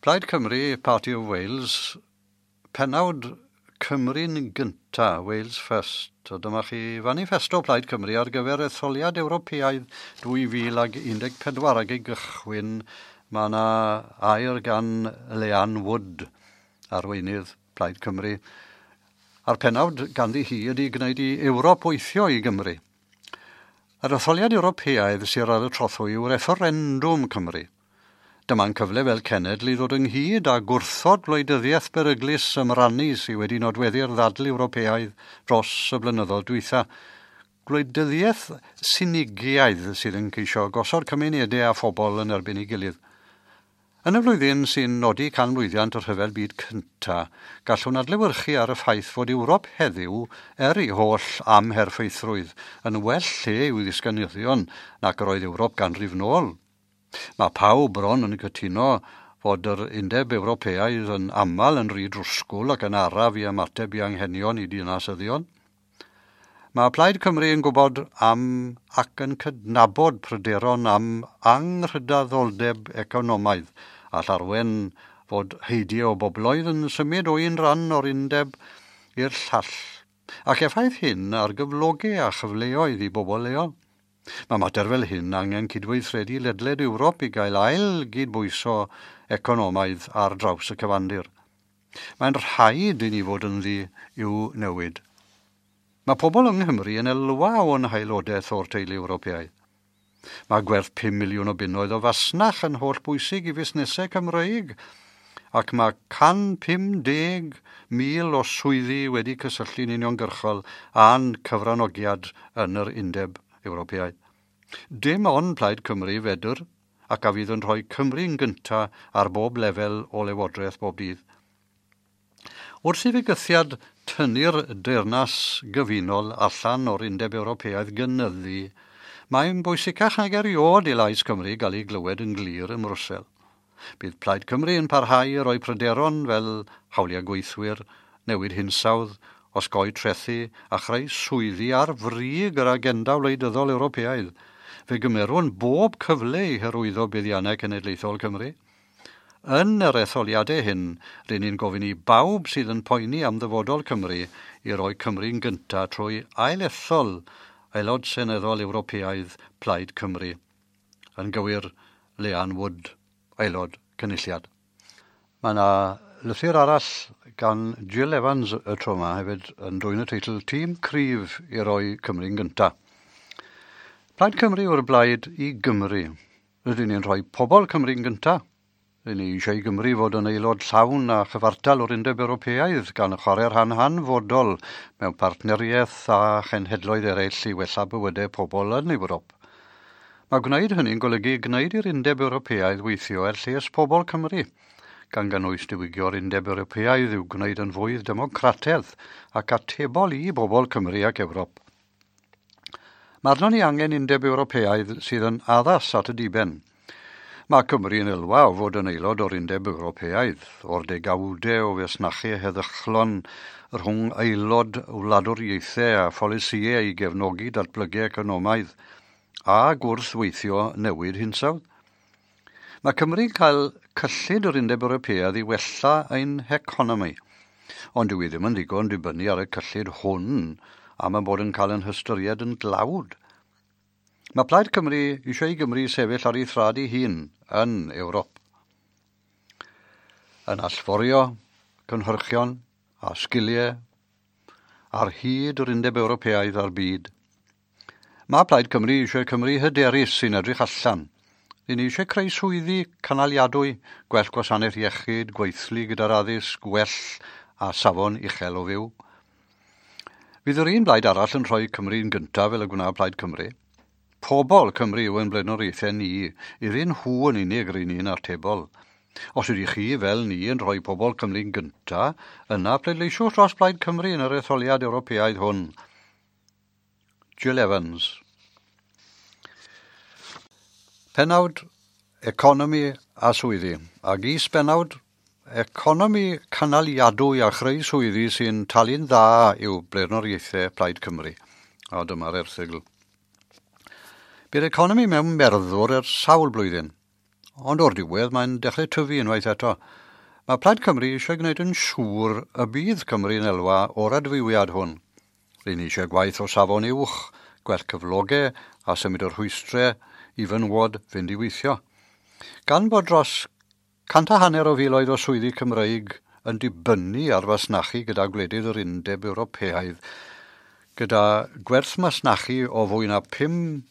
Plaid Cymru, Party of Wales, pennawd Cymru'n gynta, Wales First. A dyma chi fanifesto Plaid Cymru ar gyfer etholiad Ewropeaidd 2014 ac i gychwyn mae yna air gan Leanne Wood, arweinydd Plaid Cymru. A'r pennawd ganddi hi ydy gwneud i Ewrop weithio i Gymru. Yr etholiad Ewropeaidd sydd ar y trothwy yw referendwm Cymru. Dyma'n cyfle fel cenedl i ddod ynghyd a gwrthod gwleidyddiaeth beryglus ymrannu sydd wedi nodweddu'r ddadl Ewropeaidd dros y blynyddoedd dwytha. Gwleidyddiaeth sinigiaidd sydd yn ceisio gosod cymunedau a phobl yn erbyn ei gilydd. Yn y flwyddyn sy'n nodi canmlwyddiant y Rhyfel Byd Cynta, gallwn adlewyrchu ar y ffaith fod Ewrop heddiw, er ei holl amherffeithrwydd, yn well lle i'w ddisgynyddion nac yr oedd Ewrop ganrif nôl. Mae pawb bron yn cytuno fod yr Undeb Ewropeaidd yn aml yn rhy drwsgwl ac yn araf i ymateb i anghenion i dinasyddion. Mae Plaid Cymru yn gwybod am ac yn cydnabod pryderon am anghydraddoldeb economaidd a llarwen fod heidio o bobloedd yn symud o un ran o'r undeb i'r llall, ac effaith hyn ar gyflogau a chyfleoedd i bobl leol. Mae mater fel hyn angen cydweithredu ledled Ewrop i gael ail gydbwyso economaidd ar draws y cyfandir. Mae'n rhaid i ni fod ynddi i'w newid. Mae pobl yng Nghymru yn elwa o'n haelodaeth o'r teulu Ewropeaidd. Mae gwerth 5 miliwn o bunnoedd o fasnach yn holl bwysig i fusnesau Cymreig, ac mae 150,000 o swyddi wedi cysylltu'n uniongyrchol â'n cyfranogiad yn yr Undeb Ewropeaidd. Dim ond Plaid Cymru fedr ac a fydd yn rhoi Cymru'n gynta ar bob lefel o lywodraeth bob dydd. Wrth i fygythiad tynnu'r deyrnas gyfunol allan o'r Undeb Ewropeaidd gynyddu, mae'n bwysicach nag erioed i lais Cymru gael ei glywed yn glir ym Mrwsel. Bydd Plaid Cymru yn parhau i roi pryderon fel hawliau gweithwyr, newid hinsawdd, osgoi trethu a chreu swyddi ar frig yr agenda wleidyddol Ewropeaidd. Fe gymerwn bob cyfle i hyrwyddo buddiannau cenedlaethol Cymru. Yn yr etholiadau hyn, rydyn ni'n gofyn i bawb sydd yn poeni am ddyfodol Cymru i roi Cymru'n gyntaf trwy ailethol Aelod Seneddol Ewropeaidd Plaid Cymru. Yn gywir, Leanne Wood, Aelod Cynulliad. Mae yna lythyr arall gan Jill Evans y tro yma hefyd yn dwyn y teitl Tîm Cryf i roi Cymru'n gynta. Plaid Cymru yw'r blaid i Gymru. Rydyn ni'n rhoi pobl Cymru'n gynta. Rydyn ni eisiau i Gymru fod yn aelod llawn a chyfartal o'r Undeb Ewropeaidd gan chwarae rhan hanfodol mewn partneriaeth a chenhedloedd eraill i wella bywydau pobl yn Ewrop. Mae gwneud hynny'n golygu gwneud i'r Undeb Ewropeaidd weithio er lles pobl Cymru, gan gynnwys diwygio'r Undeb Ewropeaidd i'w gwneud yn fwy democrataidd ac atebol i bobl Cymru ac Ewrop. Mae arnon ni angen Undeb Ewropeaidd sydd yn addas at y diben. Mae Cymru yn elwa o fod yn aelod o'r Undeb Ewropeaidd, o'r degawdau o fasnachu heddychlon rhwng aelod wladwriaethau a pholisïau i gefnogi datblygu economaidd a gwrthweithio newid hinsawdd. Mae Cymru'n cael cyllid yr Undeb Ewropeaidd i wella ein heconomi, ond dyw i ddim yn ddigon dibynnu ar y cyllid hwn am y bod yn cael yn hystyried yn dlawd. Mae Plaid Cymru eisiau i Gymru sefyll ar ei thraed ei hun yn Ewrop. Yn allforio cynhyrchion a sgiliau ar hyd yr Undeb Ewropeaidd a'r byd. Mae Plaid Cymru eisiau Cymru hyderus sy'n edrych allan. Ry'n ni eisiau creu swyddi canaliadwy, gwell gwasanaeth iechyd, gweithlu gyda'r addysg, gwell a safon uchel o fyw. Fydd yr un blaid arall yn rhoi Cymru'n gyntaf fel y gwna Plaid Cymru. Pobl Cymru yw ein blaenoriaethau ni, iddyn nhw yn unig ry'n ni'n atebol. Os ydych chi, fel ni, yn rhoi pobl Cymru'n gyntaf, yna pleidleisiwch dros Blaid Cymru yn yr etholiad Ewropeaidd hwn. Jill Evans. Pennawd Economi a swyddi. Ac is-bennawd Economi cynaliadwy a chreu swyddi sy'n talu'n dda yw blaenoriaethau Plaid Cymru. A dyma'r erthygl. Bu'r economi mewn merddwr ers sawl blwyddyn, Ond o'r diwedd mae'n dechrau tyfu unwaith eto. Mae Plaid Cymru eisiau gwneud yn siŵr y bydd Cymru'n elwa o'r adfywiad hwn. Ry'n ni eisiau gwaith o safon uwch, gwell cyflogau a symud o'r rhwystrau i fenywod fynd i weithio. Gan bod dros 150 o filoedd o swyddi Cymreig yn dibynnu ar fasnachu gyda gwledydd yr Undeb Ewropeaidd, gyda gwerth masnachu o fwy na 5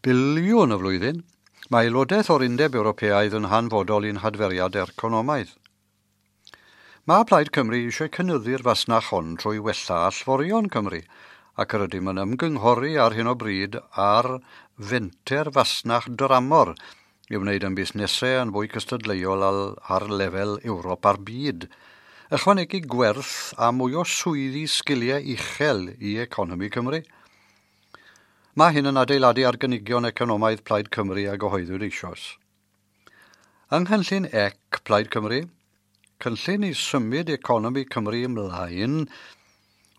biliwn y flwyddyn, mae aelodaeth o'r Undeb Ewropeaidd yn hanfodol i'n hadferiad economaidd. Mae Plaid Cymru eisiau cynyddu'r fasnach hon trwy wella allforion Cymru, ac yr ydym yn ymgynghori ar hyn o bryd ar fenter fasnach dramor i wneud yn busnesau yn fwy cystadleuol ar lefel Ewrop a'r byd. Ychwanegu gwerth a mwy o swyddi sgiliau uchel i economi Cymru. Mae hyn yn adeiladu ar gynigion economaidd Plaid Cymru a gyhoeddwyd eisoes. Yng nghynllun EC Plaid Cymru, cynllun i symud economi Cymru ymlaen,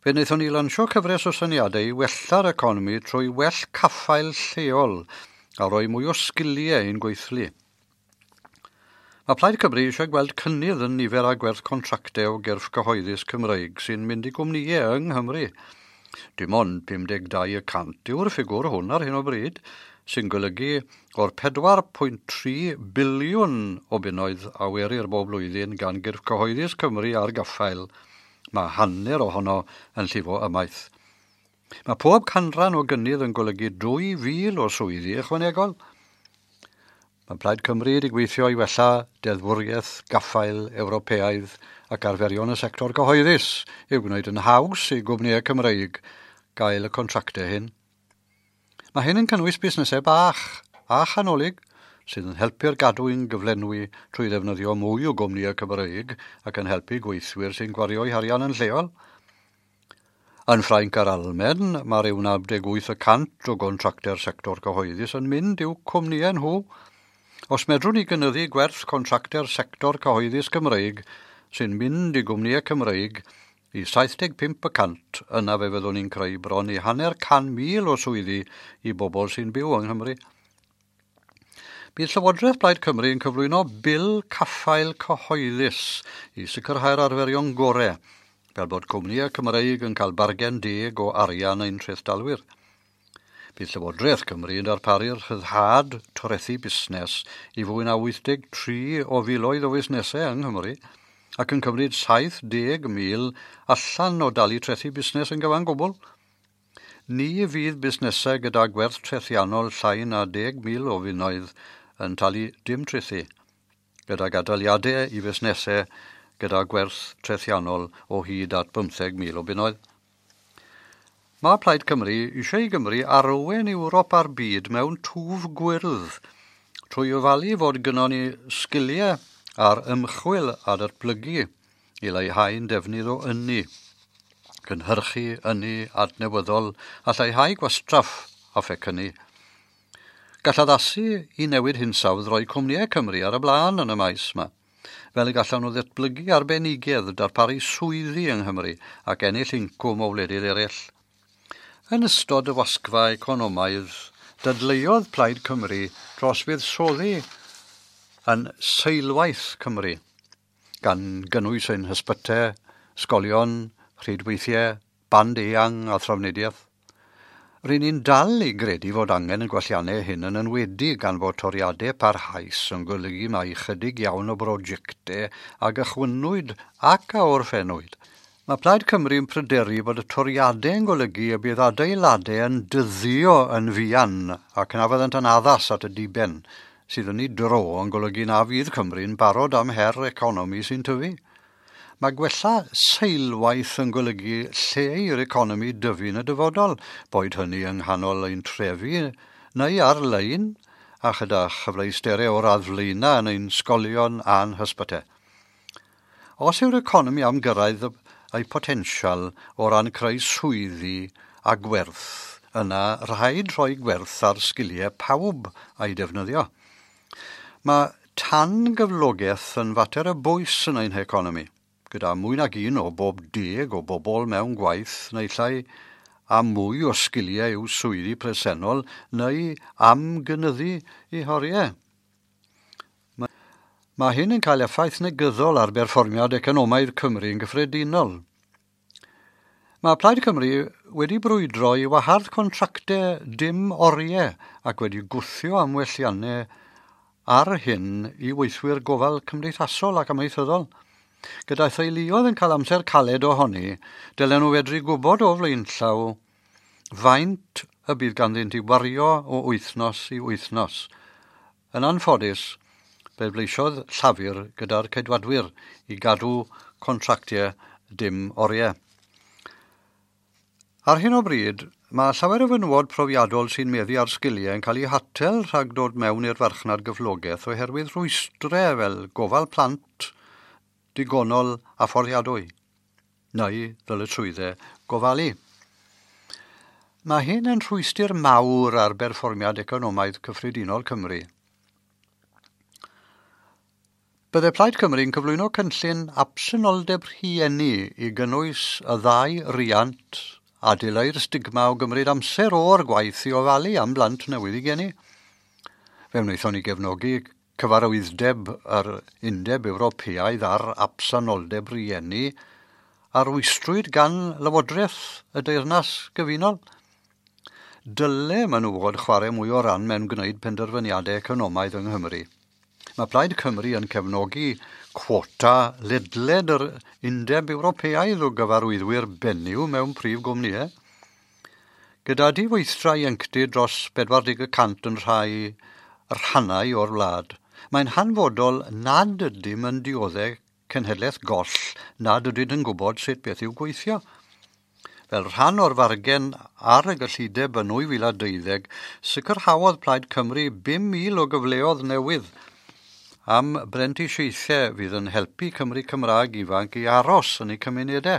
fe wnaethon ni lansio cyfres o syniadau i wella'r economi trwy well caffael lleol a rhoi mwy o sgiliau i'n gweithlu. Mae Plaid Cymru eisiau gweld cynnydd yn nifer a gwerth contractau o gyrff cyhoeddus Cymreig sy'n mynd i gwmnïau yng Nghymru. Dim ond 52% yw'r ffigwr hwn ar hyn o bryd, sy'n golygu o'r 4.3 biliwn o bunnoedd a werir bob blwyddyn gan gyrff cyhoeddus Cymru ar gaffael. Mae hanner ohono yn llifo ymaith. Mae pob canran o gynnydd yn golygu 2,000 o swyddi ychwanegol. Mae Plaid Cymru wedi gweithio i wella deddfwriaeth gaffael Ewropeaidd ac arferion y sector cyhoeddus i'w gwneud yn haws i gwmnïau Cymreig gael y contractau hyn. Mae hyn yn cynnwys busnesau bach a chanolig sydd yn helpu'r gadwyn gyflenwi trwy ddefnyddio mwy o gwmnïau Cymreig ac yn helpu gweithwyr sy'n gwario'u harian yn lleol. Yn Ffrainc a'r Almaen, mae rhyw 98% o gontractau'r sector cyhoeddus yn mynd i'w cwmnïau nhw. Os medrwn ni gynyddu gwerth contractau'r sector cyhoeddus Cymreig sy'n mynd i gwmnïau Cymreig i 75%, yna fe fyddwn ni'n creu bron i 500,000 o swyddi i bobl sy'n byw yng Nghymru. Bydd Llywodraeth Plaid Cymru yn cyflwyno Bil Caffael Cyhoeddus i sicrhau'r arferion gorau, fel bod cwmnïau Cymreig yn cael bargen deg o arian ein trethdalwyr. Bydd Llywodraeth Cymru yn darparu'r rhyddhad torethu busnes i fwy na 83 o filoedd o fusnesau yng Nghymru ac yn cymryd 70,000 allan o dalu trethu busnes yn gyfan gwbl. Ni fydd busnesau gyda gwerth trethiannol llai na 10,000 o bunnoedd yn talu dim trethu, gyda gadaliadau i fusnesau gyda gwerth trethiannol o hyd at 15,000 o bunnoedd. Mae Plaid Cymru eisiau i Gymru arwain Ewrop a'r byd mewn twf gwyrdd trwy ofalu fod gynnon ni sgiliau ar ymchwil a datblygu i leihau'n defnydd o ynni, cynhyrchu ynni adnewyddol a lleihau gwastraff a phecynnu. Gall addasu i newid hinsawdd roi cwmnïau Cymru ar y blaen yn y maes yma, fel y gallan nhw ddatblygu arbenigedd darparu swyddi yng Nghymru ac ennill incwm o wledydd eraill. Yn ystod y wasgfa economaidd, dadleuodd Plaid Cymru dros fuddsoddi yn seilwaith Cymru, gan gynnwys ein hysbytau, ysgolion, rhydweithiau, band eang a thrafnidiaeth. Ry'n ni'n dal i gredu fod angen y gwelliannau hyn yn enwedig gan fod toriadau parhaus yn golygu mai ychydig iawn o brosiectau a gychwynnwyd ac a orffennwyd. Mae Plaid Cymru yn pryderu bod y toriadau yn golygu y bydd adeiladau yn dyddio yn fuan ac na fyddant yn addas at y diben, sydd yn ei dro yn golygu na fydd Cymru'n barod am her economi sy'n tyfu. Mae gwella seilwaith yn golygu lle i'r economi dyfu yn y dyfodol, boed hynny yng nghanol ein trefi neu ar-lein, a chyda chyfleusterau o'r radd flaenaf yn ein sgolion a'n hysbytau. Os yw'r economi am gyrraedd ei potensial o ran creu swyddi a gwerth, yna rhaid rhoi gwerth ar sgiliau pawb a'i defnyddio. Mae tan gyflogaeth yn fater o bwys yn ein heconomi, gyda mwy nag un o bob 10 o bobl mewn gwaith neu llai a mwy o sgiliau i'w swyddi presennol neu am gynyddu eu horiau. Mae hyn yn cael effaith negyddol ar berfformiad economaidd Cymru yn gyffredinol. Mae Plaid Cymru wedi brwydro i wahardd contractau dim oriau ac wedi gwthio am welliannau ar hyn i weithwyr gofal cymdeithasol ac amaethyddol. Gyda theuluoedd yn cael amser caled ohoni, dylen nhw fedru gwybod o flaenllaw faint y bydd ganddynt i wario o wythnos i wythnos. Yn anffodus, bleidleisiodd Llafur gyda'r Ceidwadwyr i gadw contractiau dim oriau. Ar hyn o bryd, mae llawer o fenywod profiadol sy'n meddu ar sgiliau yn cael eu hatal rhag dod mewn i'r farchnad gyflogaeth oherwydd rhwystrau fel gofal plant digonol a fforddiadwy, neu ddyletswyddau gofalu. Mae hyn yn rhwystr mawr ar berfformiad economaidd cyffredinol Cymru. Bydde Plaid Cymru'n cyflwyno cynllun absenoldeb rhieni i gynnwys y ddau riant a dileu'r stigma o gymryd amser o'r gwaith i ofalu am blant newydd i geni. Fe wnaethon ni gefnogi cyfarwyddeb yr Undeb Ewropeaidd ar absenoldeb rhieni a rwystrwyd gan Lywodraeth y Deyrnas Gyfunol. Dyle menywod chwarae mwy o ran mewn gwneud penderfyniadau economaidd yng Nghymru. Mae Plaid Cymru yn cefnogi cwota ledled yr Undeb Ewropeaidd o gyfarwyddwyr benyw mewn prif gwmnïau. Gyda diweithdra ieuenctid dros 40% yn rhai rhannau o'r wlad, mae'n hanfodol nad ydym yn dioddef cenhedlaeth goll nad ydyn yn gwybod sut beth yw gweithio. Fel rhan o'r fargen ar y gyllideb yn 2012, sicrhaodd Plaid Cymru 5,000 o gyfleoedd newydd am brentisiaethau fydd yn helpu Cymru Cymraeg ifanc i aros yn eu cymunedau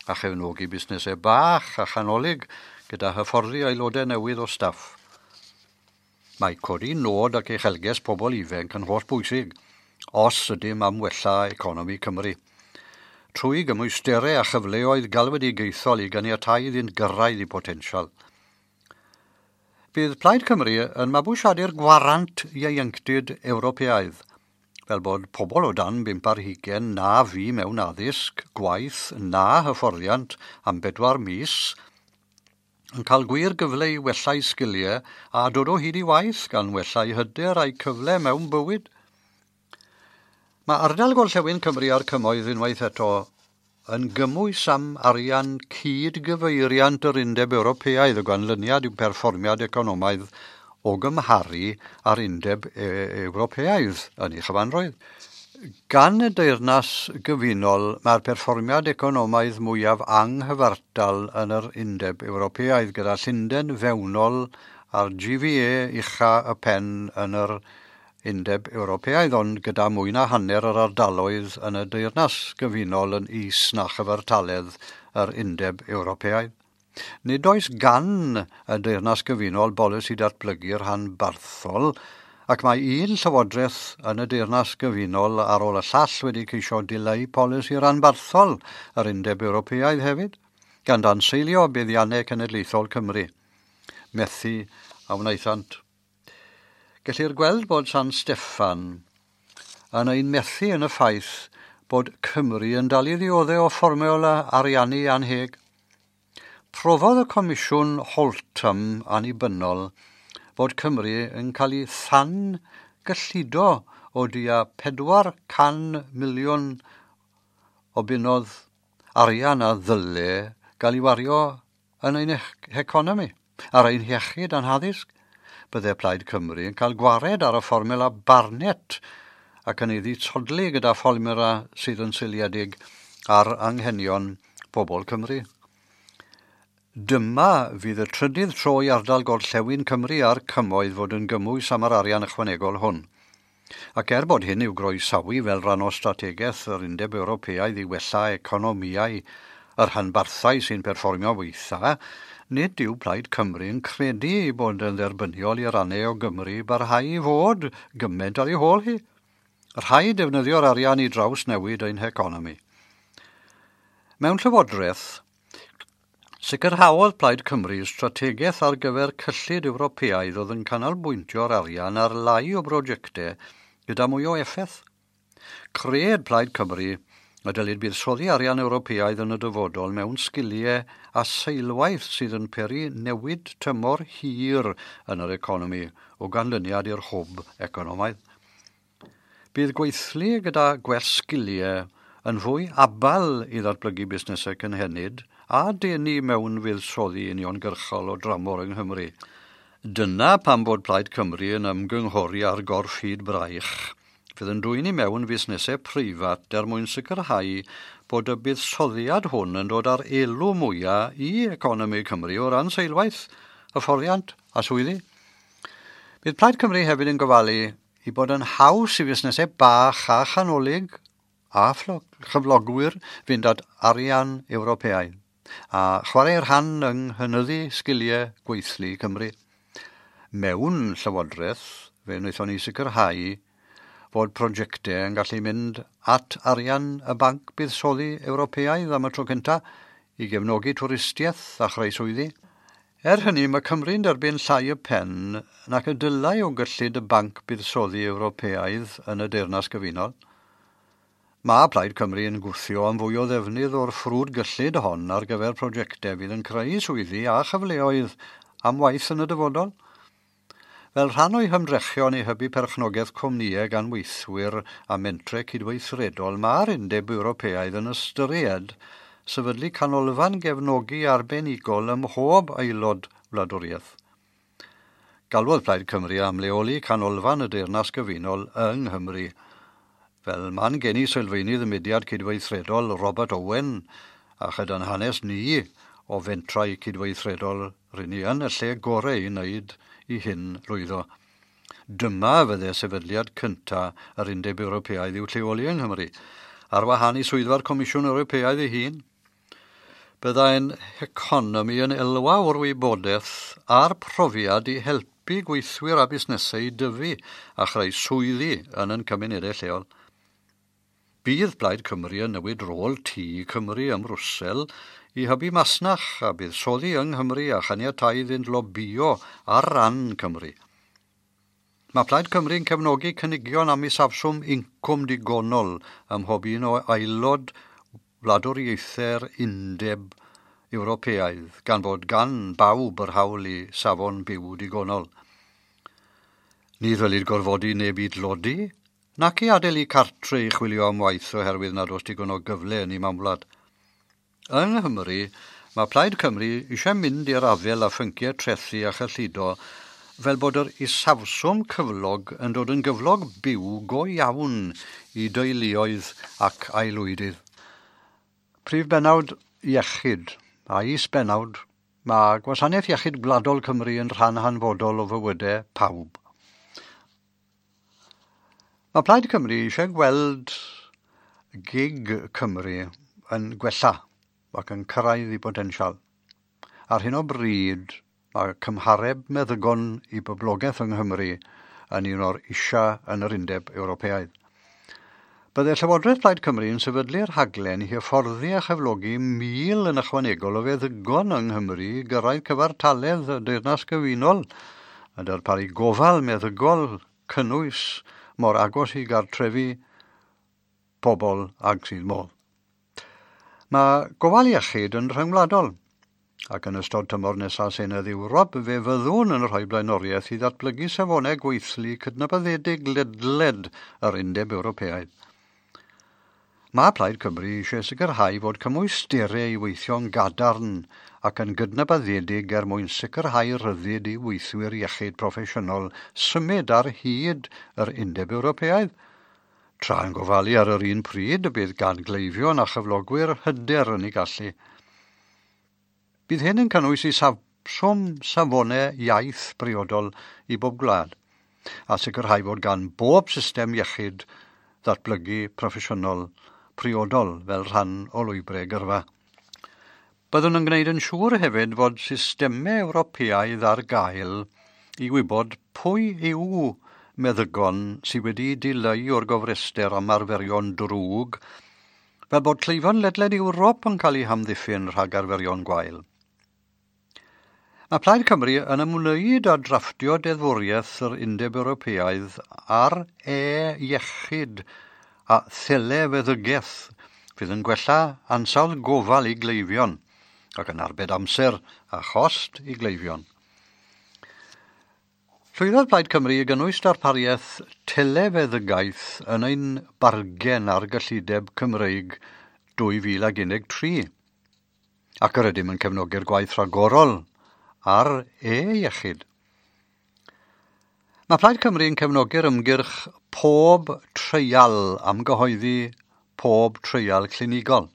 a chefnogi busnesau bach a chanolig gyda hyfforddi aelodau newydd o staff. Mae codi nod ac uchelgais pobl ifanc yn holl bwysig os ydym am wella economi Cymru. Trwy gymwysterau a chyfleoedd galwedigaethol i ganiatáu iddynt gyrraedd eu potensial. Bydd Plaid Cymru yn mabwysiadu'r gwarant ieuenctid Ewropeaidd, fel bod pobl o dan 25 na fu mewn addysg, gwaith na hyfforddiant am 4 mis yn cael gwir gyfle i wella'u sgiliau a dod o hyd i waith gan wella'u hyder a'u cyfle mewn bywyd. Mae ardal Gorllewin Cymru a'r Cymoedd unwaith eto yn gymwys am arian cyd-gyfeiriant yr Undeb Ewropeaidd o ganlyniad i'w perfformiad economaidd o gymharu â'r Undeb Ewropeaidd yn ei chyfanrwydd. Gan y Deyrnas Gyfunol, mae'r perfformiad economaidd mwyaf anghyfartal yn yr Undeb Ewropeaidd gyda Llundain fewnol a'r GVA ucha y pen yn yr Undeb Ewropeaidd, ond gyda mwy na hanner yr ardaloedd yn y Deyrnas Gyfunol yn is na chyfartaledd yr Undeb Ewropeaidd. Nid oes gan y Deyrnas Gyfunol bolisi datblygu rhanbarthol, ac mae un llywodraeth yn y Deyrnas Gyfunol ar ôl y llall wedi ceisio dileu polisi rhanbarthol yr Undeb Ewropeaidd hefyd, gan danseilio buddiannau cenedlaethol Cymru. Methu a wnaethant. Gellir gweld bod San Steffan yn ein methu yn y ffaith bod Cymru yn dal i ddioddef o fformiwla ariannu anheg. Profodd y Comisiwn Holtham annibynnol bod Cymru yn cael ei than gyllido o tua 400 miliwn o bunnoedd arian a ddyle gael ei wario yn ein heconomi, ar ein hiechyd a'n haddysg. Bydde Plaid Cymru yn cael gwared ar y fformiwla Barnett ac yn ei dditodli gyda fformiwla sydd yn seiliedig ar anghenion pobl Cymru. Dyma fydd y trydydd tro i ardal Gorllewin Cymru a'r Cymoedd fod yn gymwys am yr arian ychwanegol hwn. Ac er bod hyn i'w groesawu fel rhan o strategaeth yr Undeb Ewropeaidd i wella economïau yr rhanbarthau sy'n perfformio weitha, nid yw Plaid Cymru yn credu ei bod yn dderbyniol i rannau o Gymru barhau i fod gymaint ar ei hôl hi. Rhaid defnyddio'r arian i drawsnewid ein heconomi. Mewn llywodraeth, sicrhaodd Plaid Cymru strategaeth ar gyfer cyllid Ewropeaidd oedd yn canolbwyntio'r arian ar lai o brosiectau gyda mwy o effaith. Cred Plaid Cymru y dylid buddsoddi arian Ewropeaidd yn y dyfodol mewn sgiliau a seilwaith sydd yn peri newid tymor hir yn yr economi o ganlyniad i'r hwb economaidd. Bydd gweithlu gyda gwell sgiliau yn fwy abal i ddatblygu busnesau cynhenid a denu mewn fuddsoddi uniongyrchol o dramor yng Nghymru. Dyna pam bod Plaid Cymru yn ymgynghori ar gorff hyd braich fydd yn dwyn i mewn fusnesau preifat er mwyn sicrhau bod y buddsoddiad hwn yn dod ar elw mwyaf i economi Cymru o ran seilwaith, hyfforddiant a swyddi. Bydd Plaid Cymru hefyd yn gofalu i bod yn haws i fusnesau bach a chanolig a chyflogwyr fynd at arian Ewropeaidd a chwarae rhan yng nghynyddu sgiliau gweithlu Cymru. Mewn llywodraeth, fe wnaethon ni sicrhau fod prosiectau yn gallu mynd at arian y Banc Buddsoddi Ewropeaidd am y tro cyntaf i gefnogi twristiaeth a chreu swyddi. Er hynny, mae Cymru'n derbyn llai y pen nac y dylai o gyllid y Banc Buddsoddi Ewropeaidd yn y Deyrnas Gyfunol. Mae Plaid Cymru yn gwthio am fwy o ddefnydd o'r ffrwd gyllid hon ar gyfer prosiectau fydd yn creu swyddi a chyfleoedd am waith yn y dyfodol. Fel rhan o'i hymdrechion i hybu perchnogaeth cwmnïau gan weithwyr a mentrau cydweithredol, mae'r Undeb Ewropeaidd yn ystyried sefydlu canolfan gefnogi arbenigol ym mhob aelod wladwriaeth. Galwodd Plaid Cymru am leoli canolfan y Deyrnas Gyfunol yng Nghymru. Fel man geni sylfaenydd y mudiad cydweithredol Robert Owen a chyda'n hanes ni o fentrau cydweithredol rŷn ni yn y lle gorau i wneud i hyn lwyddo. Dyma fydde sefydliad cynta yr Undeb Ewropeaidd i'w lleoli yng Nghymru, ar wahân i swyddfa'r Comisiwn Ewropeaidd ei hun. Byddai'n economi yn elwa o'r wybodaeth a'r profiad i helpu gweithwyr a busnesau i dyfu a chreu swyddi yn ein cymunedau lleol. Bydd Plaid Cymru yn newid rôl Tŷ Cymru ym Mrwsel i hybu masnach a buddsoddi yng Nghymru a chaniatáu iddynt lobïo ar ran Cymru. Mae Plaid Cymru yn cefnogi cynigion am isafswm incwm digonol ym mhob un o aelod wladwriaethau'r Undeb Ewropeaidd, gan fod gan bawb yr hawl i safon byw digonol. Ni ddylid gorfodi neb i dlodi, nac i adael i cartre i chwilio am waith oherwydd nad oes digon o gyfle yn ei mamwlad. Yng Nghymru, mae Plaid Cymru eisiau mynd i'r afael â phynciau trethu a chyllido fel bod yr isafswm cyflog yn dod yn gyflog byw go iawn i deuluoedd ac aelwydydd. Prif bennawd iechyd a is-bennawd, mae Gwasanaeth Iechyd Gwladol Cymru yn rhan hanfodol o fywydau pawb. Mae Plaid Cymru eisiau gweld gig Cymru yn gwella ac yn cyrraedd ei botensial. Ar hyn o bryd, mae cymhareb meddygon i boblogaeth yng Nghymru yn un o'r isa yn yr Undeb Ewropeaidd. Byddai Llywodraeth Plaid Cymru yn sefydlu'r rhaglen i hyfforddi a chyflogi 1,000 yn ychwanegol o feddygon yng Nghymru i gyrraedd cyfartaledd y Deyrnas Gyfunol a darparu gofal meddygol cynnwys mor agos i gartrefi pobl ag sydd modd. Mae gofal iechyd yn rhyngwladol, ac yn ystod tymor nesaf Senedd Ewrop fe fyddwn yn rhoi blaenoriaeth i ddatblygu safonau gweithlu cydnabyddedig ledled yr Undeb Ewropeaidd. Mae Plaid Cymru eisiau sicrhau fod cymwysterau i weithio'n gadarn ac yn gydnabyddedig er mwyn sicrhau rhyddid i weithwyr iechyd proffesiynol symud ar hyd yr Undeb Ewropeaidd. Tra yn gofalu ar yr un pryd y bydd gan gleifion a chyflogwyr hyder yn ei gallu. Bydd hyn yn cynnwys isafswm safonau iaith briodol i bob gwlad, a sicrhau fod gan bob system iechyd ddatblygu proffesiynol priodol fel rhan o lwybrau gyrfa. Byddwn yn gwneud yn siŵr hefyd fod systemau Ewropeaidd ar gael i wybod pwy yw meddygon sydd wedi dileu o'r gofrestr am arferion drwg, fel bod cleifion ledled Ewrop yn cael eu hamddiffyn rhag arferion gwael. Mae Plaid Cymru yn ymwneud â drafftio deddfwriaeth yr Undeb Ewropeaidd ar e-iechyd a thelefeddygaeth fydd yn gwella ansawdd gofal i gleifion ac yn arbed amser a chost i gleifion. Llwyddodd Plaid Cymru i gynnwys darpariaeth telefeddygaeth yn ein bargen ar gyllideb Cymreig 2013, ac yr ydym yn cefnogi'r gwaith rhagorol ar e-iechyd. Mae Plaid Cymru yn cefnogi'r ymgyrch pob treial am gyhoeddi pob treial clinigol.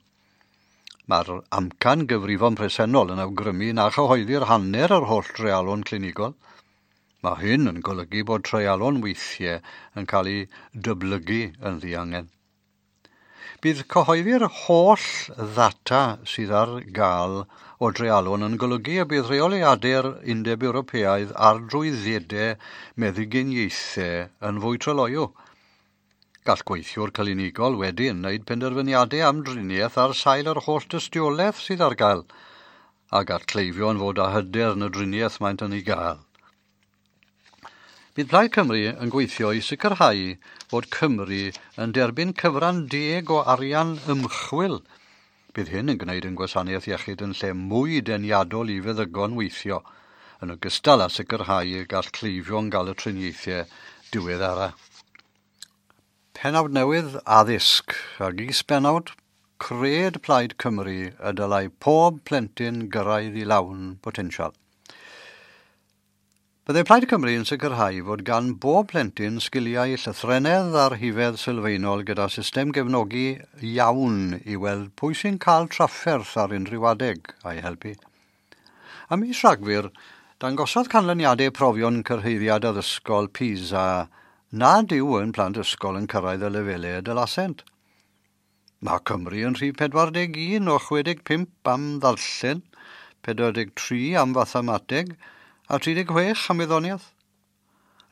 Mae'r amcan gyfrifon presennol yn awgrymu na chyhoeddi'r hanner yr holl dreialon clinigol. Mae hyn yn golygu bod treialon weithiau yn cael eu dyblygu yn ddiangen. Bydd cyhoeddi'r holl ddata sydd ar gael o dreialon yn golygu y bydd rheoliadau'r Undeb Ewropeaidd ar drwyddedau meddyginiaethau yn fwy tryloyw. Gall gweithiwr clinigol wedyn wneud penderfyniadau am driniaeth ar sail yr holl dystiolaeth sydd ar gael, a gall cleifion fod â hyder yn y driniaeth maent yn ei gael. Bydd Plaid Cymru yn gweithio i sicrhau fod Cymru yn derbyn cyfran deg o arian ymchwil. Bydd hyn yn gwneud yn gwasanaeth iechyd yn lle mwy deniadol i feddygon weithio, yn ogystal â sicrhau y gall cleifion gael y triniaethau diweddara. Pennawd newydd addysg ac is-bennawd cred Plaid Cymru y dylai pob plentyn gyrraedd i lawn potensial. Byddai Plaid Cymru yn sicrhau fod gan bob plentyn sgiliau llythrennedd a'r rhifedd sylfaenol gyda system gefnogi iawn i weld pwy sy'n cael trafferth ar unrhyw adeg a'i helpu. Ym mis Rhagfyr, dangosodd canlyniadau profion cyrhaeddiad addysgol PISA nad yw yn plant ysgol yn cyrraedd y lefelau y dylasent. Mae Cymru yn rhif 41 o 65 am ddarllen, 43 am fathemateg, a 36 am wyddoniaeth.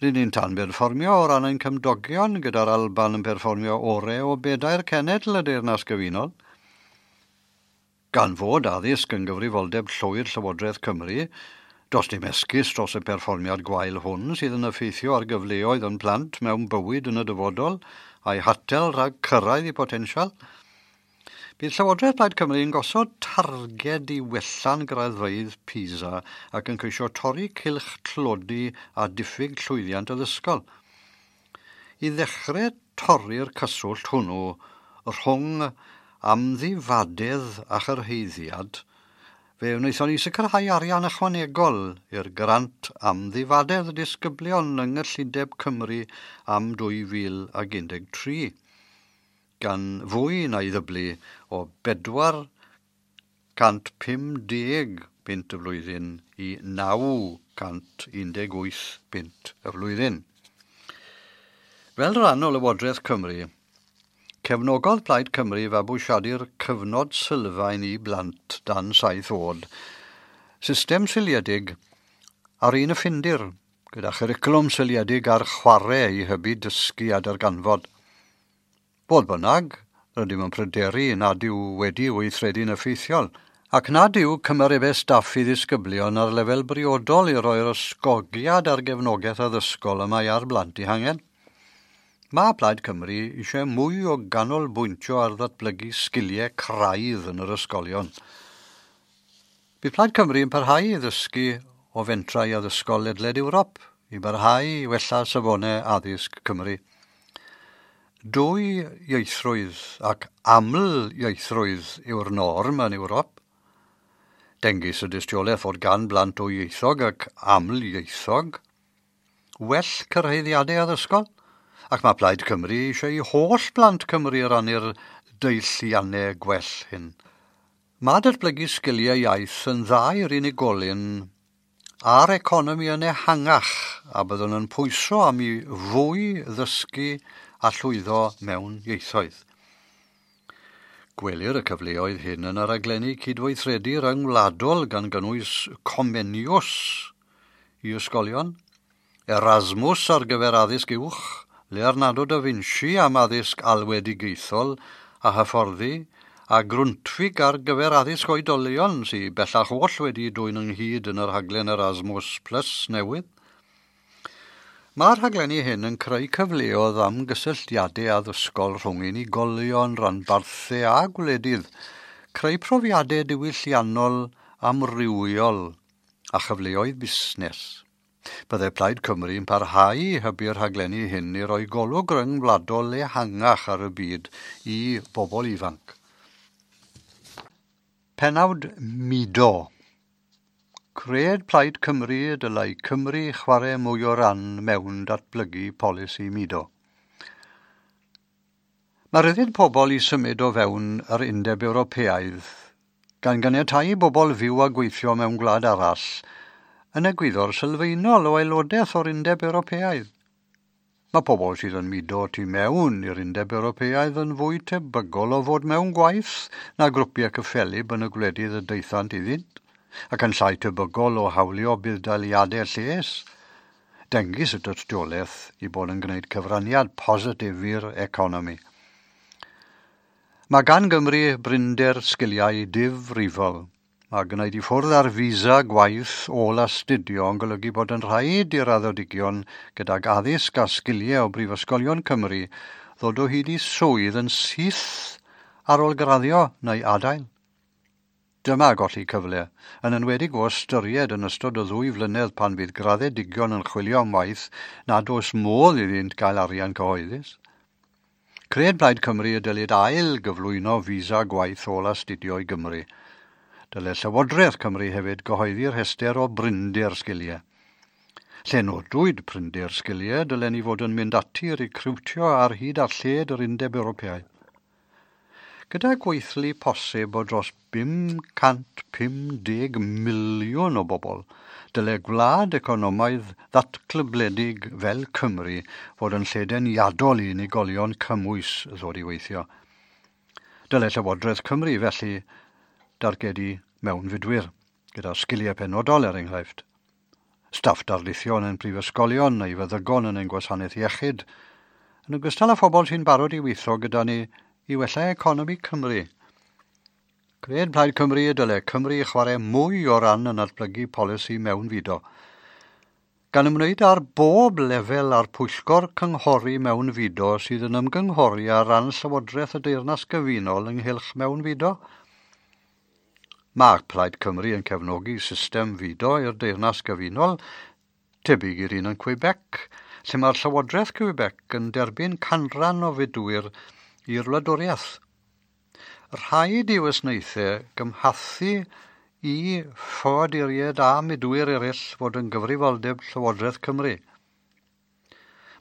Rydyn ni'n tan berfformio o ran ein cymdogion gyda'r Alban yn perfformio orau o bedair cenedl y Deyrnas Gyfunol. Gan fod addysg yn gyfrifoldeb llwyr Llywodraeth Cymru, does dim esgus dros y perfformiad gwael hwn sydd yn effeithio ar gyfleoedd yn plant mewn bywyd yn y dyfodol a'i hatel rhag cyrraedd i potensial. Bydd Llywodraeth Plaid Cymru yn gosod targed i wella'n graddfeydd PISA ac yn ceisio torri cylch tlodi a diffyg llwyddiant addysgol. I ddechrau torri'r cyswllt hwnnw rhwng amddifadedd a chyrhaeddiad, fe wnaethon ni sicrhau arian ychwanegol i'r grant amddifadedd disgyblion yng Nghyllideb Cymru am 2013, gan fwy na'i ddyblu o 450 bunt y flwyddyn i 918 bunt y flwyddyn. Fel rhan o Lywodraeth Cymru, cefnogodd Plaid Cymru fabwysiadu'r cyfnod sylfaen i blant dan 7 oed, system seiliedig ar un y Ffindir, gyda chwricwlwm seiliedig ar chwarae i hybu dysgu a darganfod. Fodd bynnag, rydym yn pryderu nad yw wedi weithredu'n effeithiol, ac nad yw cymarebau staff i ddisgyblion ar lefel briodol i roi'r ysgogiad a'r gefnogaeth addysgol y mae ar blant eu hangen. Mae Plaid Cymru eisiau mwy o ganolbwyntio ar ddatblygu sgiliau craidd yn yr ysgolion. Bydd Plaid Cymru yn parhau i ddysgu o fentrau addysgol ledled Ewrop i barhau i wella safonau addysg Cymru. Dwy ieithrwydd ac aml ieithrwydd yw'r norm yn Ewrop. Dengys y dystiolaeth fod gan blant dwyieithog ac aml ieithog well cyrhaeddiadau addysgol, ac mae Plaid Cymru eisiau i holl blant Cymru rannu'r deilliannau gwell hyn. Mae datblygu sgiliau iaith yn dda i'r unigolyn a'r economi yn ehangach, a byddwn yn pwyso am i fwy ddysgu a llwyddo mewn ieithoedd. Gwelir y cyfleoedd hyn yn y rhaglenni cydweithredu ryngwladol gan gynnwys Comenius i ysgolion, Erasmus ar gyfer addysg uwch, Leonardo da Vinci am addysg alwedigaethol a hyfforddi, a Grundtvig ar gyfer addysg oedolion sydd bellach oll wedi dwyn ynghyd yn yr rhaglen Erasmus Plus newydd. Mae'r rhaglenni hyn yn creu cyfleoedd am gysylltiadau addysgol rhwng unigolion, ranbarthau a gwledydd, creu profiadau diwylliannol amrywiol a chyfleoedd busnes. Byddai Plaid Cymru yn parhau i hybu'r rhaglenni hyn i roi golwg ryngwladol ehangach ar y byd i bobl ifanc. Pennawd mudo. Cred Plaid Cymru y dylai Cymru chwarae mwy o ran mewn datblygu polisi mudo. Mae rhyddid pobl i symud o fewn yr Undeb Ewropeaidd, gan ganiatáu i bobl fyw a gweithio mewn gwlad arall, yn egwyddor sylfaenol o aelodaeth o'r Undeb Ewropeaidd. Mae pobl sydd yn mudo tu mewn i'r Undeb Ewropeaidd yn fwy tebygol o fod mewn gwaith na grwpiau cyffelyb yn y gwledydd y daethant iddynt, ac yn llai tebygol o hawlio budd-daliadau lles. Dengys y dystiolaeth i bod yn gwneud cyfraniad positif i'r economi. Mae gan Gymru brinder sgiliau difrifol. Mae gwneud i ffwrdd ar visa gwaith ôl astudio yn golygu bod yn rhaid i'r raddedigion gydag addysg a sgiliau o brifysgolion Cymru ddod o hyd i swydd yn syth ar ôl graddio neu adael. Dyma golli cyfle, yn enwedig o ystyried yn ystod y 2 flynedd pan fydd graddedigion yn chwilio am waith nad oes modd iddynt gael arian cyhoeddus. Cred Plaid Cymru y dylid ail gyflwyno visa gwaith ôl astudio i Gymru. Dylai Llywodraeth Cymru hefyd gyhoeddi'r rhestr o brinder sgiliau. Lle nodwyd prinder sgiliau, dylen ni fod yn mynd ati i recriwtio ar hyd a lled yr Undeb Ewropeaidd. Gyda gweithlu posib o dros 550 miliwn o bobl, dylai gwlad economaidd ddatglybledig fel Cymru fod yn lle deniadol i unigolion cymwys ddod i weithio. Dylai Llywodraeth Cymru felly dargedu mewnfudwyr, gyda sgiliau penodol er enghraifft. Staff darlithion yn prifysgolion neu feddygon yn ein gwasanaeth iechyd, yn ogystal â phobl sy'n barod i weithio gyda ni i wella economi Cymru. Cred Plaid Cymru y dylai Cymru chwarae mwy o ran yn datblygu polisi mewnfudo, gan ymwneud ar bob lefel a'r pwyllgor cynghori mewnfudo sydd yn ymgynghori ar ran Llywodraeth y Deyrnas Gyfunol ynghylch mewnfudo. Mae Plaid Cymru yn cefnogi system fudo i'r Deyrnas Gyfunol, tebyg i'r un yn Quebec, lle mae'r Llywodraeth Quebec yn derbyn canran o fudwyr i'r wladwriaeth. Rhaid i wasanaethau gymhathu i ffoaduriaid a mudwyr eraill fod yn gyfrifoldeb Llywodraeth Cymru.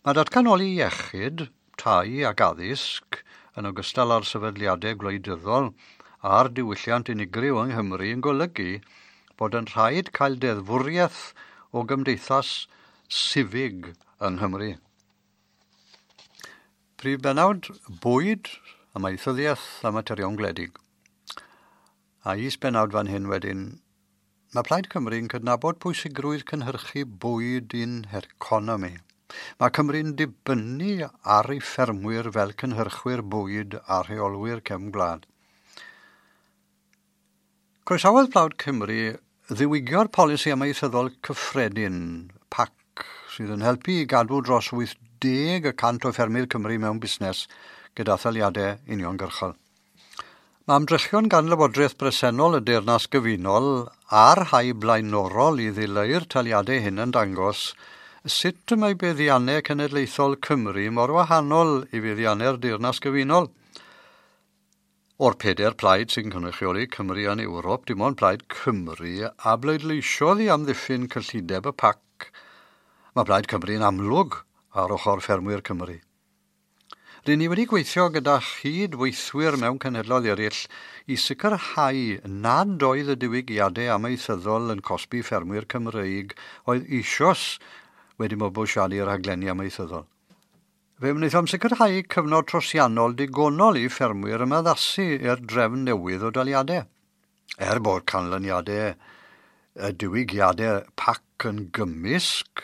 Mae datganoli iechyd, tai ac addysg, yn ogystal â'r sefydliadau gwleidyddol a'r diwylliant unigryw yng Nghymru yn golygu bod yn rhaid cael deddfwriaeth o gymdeithas sifig yng Nghymru. Prif bennawd, bwyd, amaethyddiaeth a materion gwledig. A is-bennawd fan hyn wedyn, mae Plaid Cymru yn cydnabod pwysigrwydd cynhyrchu bwyd i'n heconomi. Mae Cymru'n dibynnu ar ei ffermwyr fel cynhyrchwyr bwyd a rheolwyr cefn gwlad. Croesawodd Plaid Cymru ddiwygio'r polisi amaethyddol cyffredin, PAC, sydd yn helpu i gadw dros 80% o ffermydd Cymru mewn busnes gyda thaliadau uniongyrchol. Mae ymdrechion gan Lywodraeth bresennol y Deyrnas Gyfunol a'r rhai blaenorol i ddileu'r taliadau hyn yn dangos sut y mae buddiannau cenedlaethol Cymru mor wahanol i fuddiannau'r Deyrnas Gyfunol. O'r 4 plaid sy'n cynrychioli Cymru yn Ewrop, dim ond Plaid Cymru a bleidleisiodd i amddiffyn cyllideb y PAC. Mae Plaid Cymru yn amlwg ar ochr ffermwyr Cymru. Rydyn ni wedi gweithio gyda chydweithwyr mewn cenhedloedd eraill i sicrhau nad oedd y diwygiadau amaethyddol yn cosbi ffermwyr Cymreig oedd eisoes wedi mabwysiadu'r rhaglenni amaethyddol. Fe wnaethom sicrhau cyfnod trosiannol digonol i ffermwyr ymaddasu i'r drefn newydd o daliadau. Er bod canlyniadau y diwygiadau PAC yn gymysg,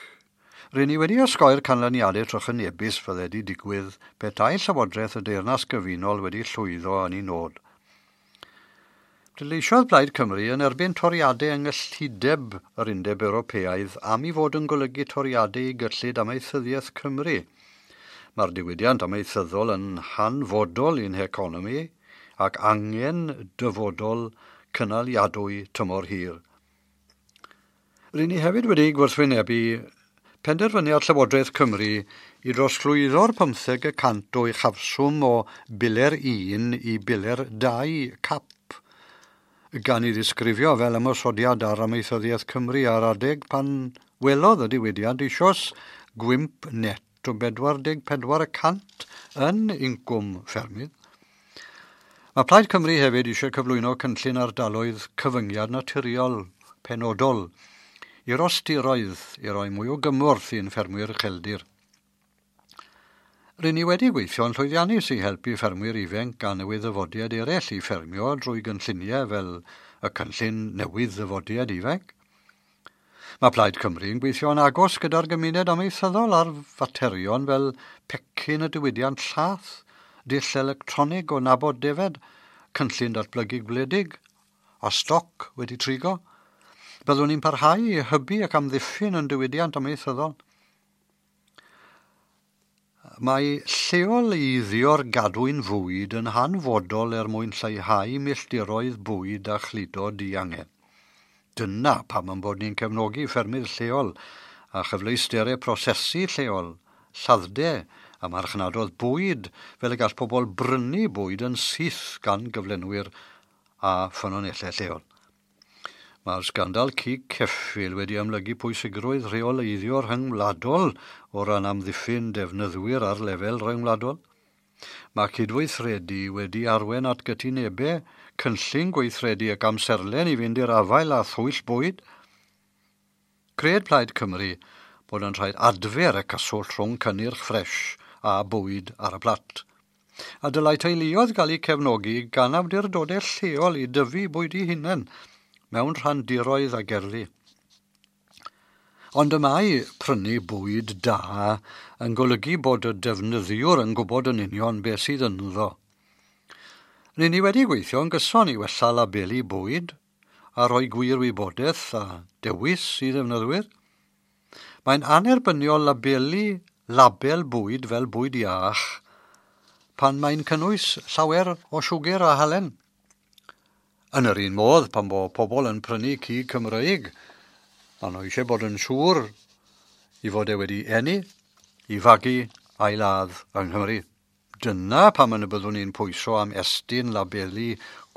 rydyn ni wedi osgoi'r canlyniadau trychinebus fydde wedi digwydd petai Llywodraeth y Deyrnas Gyfunol wedi llwyddo yn ei nod. Pleidleisiodd Plaid Cymru yn erbyn toriadau yng nghyllideb yr Undeb Ewropeaidd am ei fod yn golygu toriadau i gyllid amaethyddiaeth Cymru. Mae'r diwydiant amaethyddol yn hanfodol i'n heconomi ac angen dyfodol cynaliadwy tymor hir. Ry'n ni hefyd wedi gwrthwynebu penderfyniad Llywodraeth Cymru i drosglwyddo'r 15% o uchafswm o biler 1 i biler 2 CAP, gan ei ddisgrifio fel ymosodiad ar amaethyddiaeth Cymru ar adeg pan welodd y diwydiant eisoes gwymp net o 44% yn incwm ffermydd. Mae Plaid Cymru hefyd eisiau cyflwyno cynllun ardaloedd cyfyngiad naturiol penodol i rostiroedd i roi mwy o gymorth i'n ffermwyr ucheldir. Rŷn ni wedi gweithio'n llwyddiannus i helpu ffermwyr ifanc a newydd ddyfodiad eraill i ffermio drwy gynlluniau fel y cynllun newydd ddyfodiad ifanc. Mae Plaid Cymru yn gweithio'n agos gyda'r gymuned amaethyddol ar faterion fel pecyn y diwydiant llath, dull electronig o nabod defed, cynllun datblygu gwledig a stoc wedi trigo. Byddwn ni'n parhau i hybu ac amddiffyn yn diwydiant amaethyddol. Mae lleoleiddio'r gadwyn fwyd yn hanfodol er mwyn lleihau milltiroedd bwyd a chludo diangen. Dyna pam ein bod ni'n cefnogi ffermydd lleol a chyfleusterau prosesu lleol, lladd-de a marchnadoedd bwyd fel y gall pobl brynu bwyd yn syth gan gyflenwyr a ffynonellau lleol. Mae'r sgandal cig ceffyl wedi amlygu pwysigrwydd rheoleiddio rhyngwladol o ran amddiffyn defnyddwyr ar lefel rhyngwladol. Mae cydweithredu wedi arwain at gytunebau, cynllun gweithredu ac amserlen i fynd i'r afael â thwyll bwyd. Cred Plaid Cymru bod yn rhaid adfer y cyswllt rhwng cynnyrch ffres a bwyd ar y plat. A dylai teuluoedd gael eu cefnogi gan awdurdodau lleol i dyfu bwyd eu hunain mewn rhandiroedd a gerddi. Ond y mae prynu bwyd da yn golygu bod y defnyddiwr yn gwybod yn union beth sydd ynddo. Rŷn ni wedi gweithio yn gyson i wella labelu bwyd a rhoi gwir wybodaeth a dewis i ddefnyddwyr. Mae'n anerbyniol labelu label bwyd fel bwyd iach pan mae'n cynnwys llawer o siwgr a halen. Yn yr un modd, pan bo pobl yn prynu cig Cymreig, maen nhw eisiau bod yn siŵr i fod e wedi eni, i fagu a'i ladd yng Nghymru. Dyna pam yn y byddwn ni'n pwyso am estyn labelu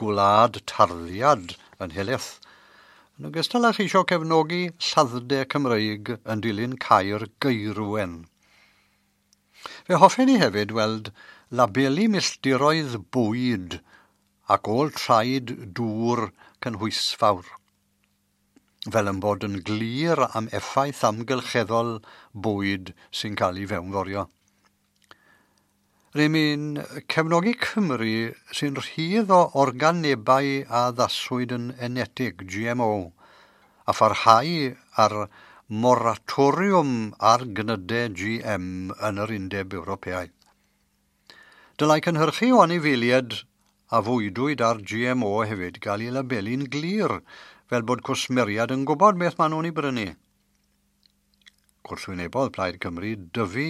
gwlad tarddiad yn helaeth. Yn ogystal â cheisio cefnogi lladd-de Cymreig yn dilyn cau'r Gaerwen. Fe hoffen ni hefyd weld labelu milltiroedd bwyd ac ôl traed dŵr cynhwysfawr, fel yn bod yn glir am effaith amgylcheddol bwyd sy'n cael ei fewnforio. Rŷn ni'n cefnogi Cymru sy'n rhydd o organebau a addaswyd yn enetig, GMO, a pharhau ar moratoriwm ar gnydau GM yn yr Undeb Ewropeaidd. Dylai cynhyrchu o anifeiliaid a fwydwyd ar GMO hefyd gael ei labelu'n glir, fel bod cwsmeriaid yn gwybod beth maen nhw'n ei brynu. Gwrthwynebodd Plaid Cymru dyfu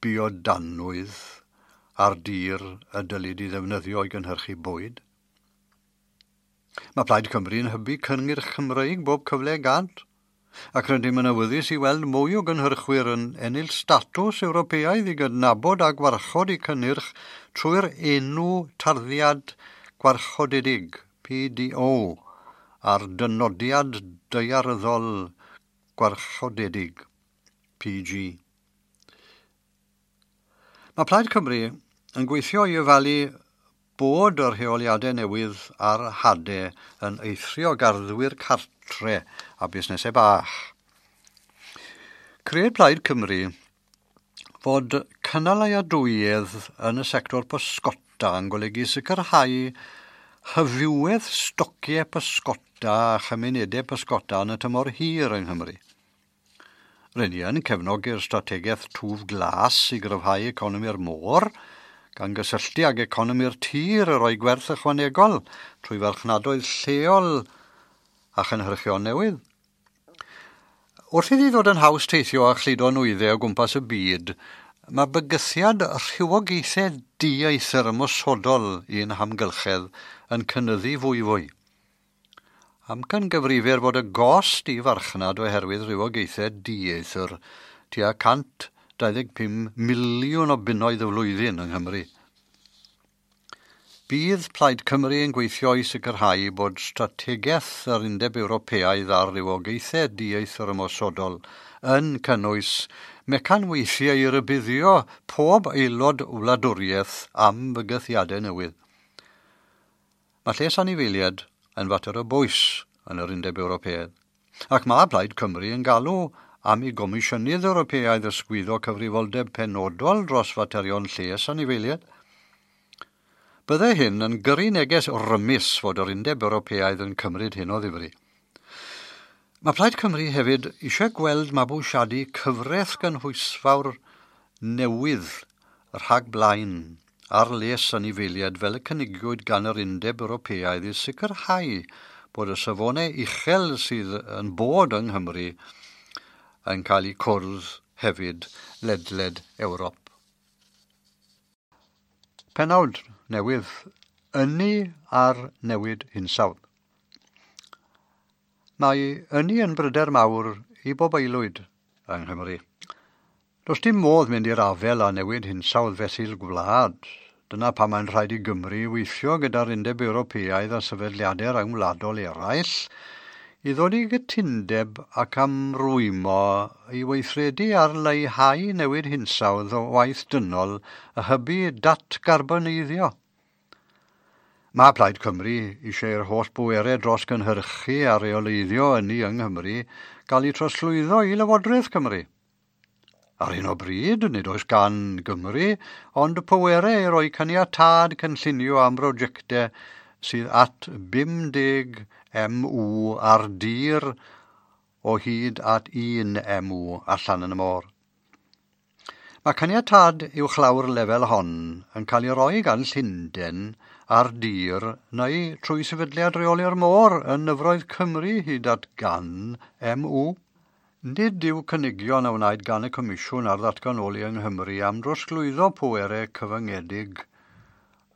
biodanwydd ar dir y dylid ei ddefnyddio i gynhyrchu bwyd. Mae Plaid Cymru yn hybu cynnyrch Cymreig bob cyfle gant, ac rydym yn awyddus i weld mwy o gynhyrchwyr yn ennill statws Ewropeaidd i gydnabod a gwarchod eu cynnyrch trwy'r enw tarddiad gwarchodedig, PDO, a'r dynodiad daearyddol gwarchodedig, PG. Mae Plaid Cymru yn gweithio i ofalu bod y rheoliadau newydd ar hadau yn eithrio garddwyr cartre a busnesau bach. Cred Plaid Cymru fod cynaliadwyedd yn y sector pysgota yn golygu sicrhau hyfywedd stociau pysgota a chymunedau pysgota yn y tymor hir yng Nghymru. Rŷn ni yn cefnogi'r strategaeth twf glas i gryfhau economi'r môr, gan gysylltu ag economi'r tir y roi gwerth ychwanegol trwy farchnadoedd lleol a chynhyrchion newydd. Wrth iddi ddod yn haws teithio a chludo nwyddau o gwmpas y byd, mae bygythiad rhywogaethau dieithr ymosodol i'n hamgylchedd yn cynyddu fwyfwy. Amcangyfrifir fod y gost i farchnad oherwydd rhywogaethau dieithr tua 125 miliwn o bunnoedd y flwyddyn yng Nghymru. Bydd Plaid Cymru yn gweithio i sicrhau bod strategaeth yr Undeb Ewropeaidd ar rywogaethau dieithr ymosodol yn cynnwys mecanweithiau i rybuddio pob aelod wladwriaeth am fygythiadau newydd. Mae lles anifeiliaid yn fater o bwys yn yr Undeb Ewropeaidd, ac mae Plaid Cymru yn galw am i Gomisiynydd Ewropeaidd ysgwyddo cyfrifoldeb penodol dros faterion lles anifeiliaid. Byddai hyn yn gyrru neges rymus fod yr Undeb Ewropeaidd yn cymryd hyn o ddifri. Mae Plaid Cymru hefyd eisiau gweld mabwysiadu cyfraith gynhwysfawr newydd rhag blaen ar les anifeiliaid fel y cynigiwyd gan yr Undeb Ewropeaidd i sicrhau bod y safonau uchel sydd yn bod yng Nghymru yn cael eu cwrdd hefyd ledled Ewrop. Penawd newydd, ynni ar newid hinsawdd. Mae ynni yn bryder mawr i bob aelwyd yng Nghymru. Does dim modd mynd i'r afael â newid hinsawdd fesul gwlad. Dyna pam mae'n rhaid i Gymru weithio gyda'r Undeb Ewropeaidd a sefydliadau rhyngwladol eraill i ddod i gytundeb ac amrwymo i weithredu ar leihau newid hinsawdd o waith dynol a hybu datgarboneiddio. Mae Plaid Cymru eisiau i'r holl bwerau dros gynhyrchu a reoleiddio ynni yng Nghymru gael eu trosglwyddo i Lywodraeth Cymru. Ar hyn o bryd, nid oes gan Gymru, ond pwerau i roi caniatâd cynllunio am brosiectau sydd at 50 MW ar dir o hyd at 1 MW allan yn y môr. Mae caniatâd uwchlaw'r lefel hon yn cael ei roi gan Llundain ar dir neu trwy sefydliad reoli'r môr yn nyfroedd Cymru hyd at 100 MW. Nid yw cynigion a wnaed gan y Comisiwn ar ddatganoli yng Nghymru am drosglwyddo pwerau cyfyngedig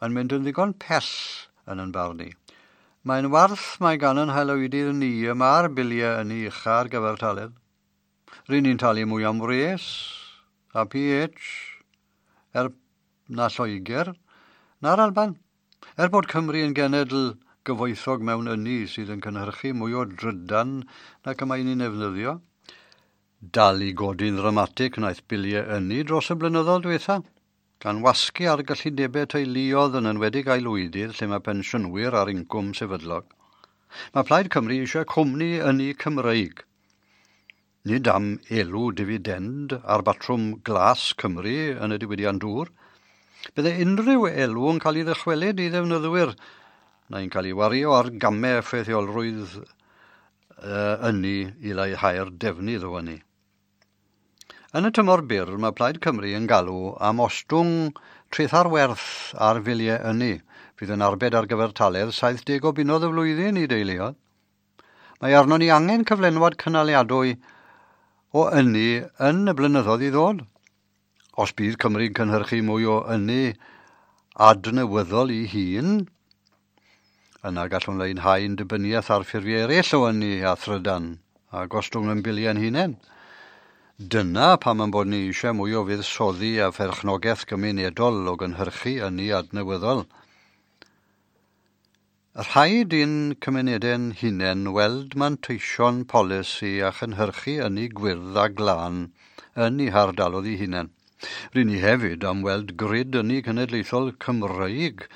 yn mynd yn ddigon pell yn yn barn i. Mae'n warth mae gan yn haelwydydd ni y mae'r biliau ynni ucha ar gyfartaledd. Ry'n ni'n talu mwy am wres a pH er na Lloegr na'r Alban. Er bod Cymru yn genedl gyfoethog mewn ynni sydd yn cynhyrchu mwy o drydan nac y mae'n ei ddefnyddio, dal i godi'n ddramatig wnaeth biliau ynni dros y blynyddoedd diwetha, gan wasgu ar gyllidebau teuluoedd yn enwedig aelwydydd lle mae pensiynwyr ar incwm sefydlog. Mae Plaid Cymru eisiau cwmni ynni Cymreig. Nid am elw difidend ar batrwm glas Cymru yn y diwydiant dŵr. Bydde unrhyw elw yn cael ei ddychwelyd i ddefnyddwyr, neu'n cael ei wario ar gamau effeithiolrwydd ynni i leihau'r defnydd o ynni. Yn y tymor byr, mae Plaid Cymru yn galw am ostwng treth ar werth ar filiau ynni, fydd yn arbed ar gyfartaledd 70 o bunnoedd y flwyddyn i deuluoedd. Mae arnon ni angen cyflenwad cynaliadwy o ynni yn y blynyddoedd i ddod. Os bydd Cymru'n cynhyrchu mwy o ynni adnewyddol i hun, yna gallwn leihau'n dibyniaeth ar ffurfiau eraill o ynni a thrydan a gostwng yn biliau'n hunain. Dyna pam ein bod ni eisiau mwy o fuddsoddi a pherchnogaeth gymunedol o gynhyrchu ynni adnewyddol. Rhaid i'n cymunedau'n hunain weld manteision polisi a chynhyrchu ynni gwyrdd a glân yn eu hardaloedd eu hunain. Ry'n ni hefyd am weld grid ynni cenedlaethol Cymreig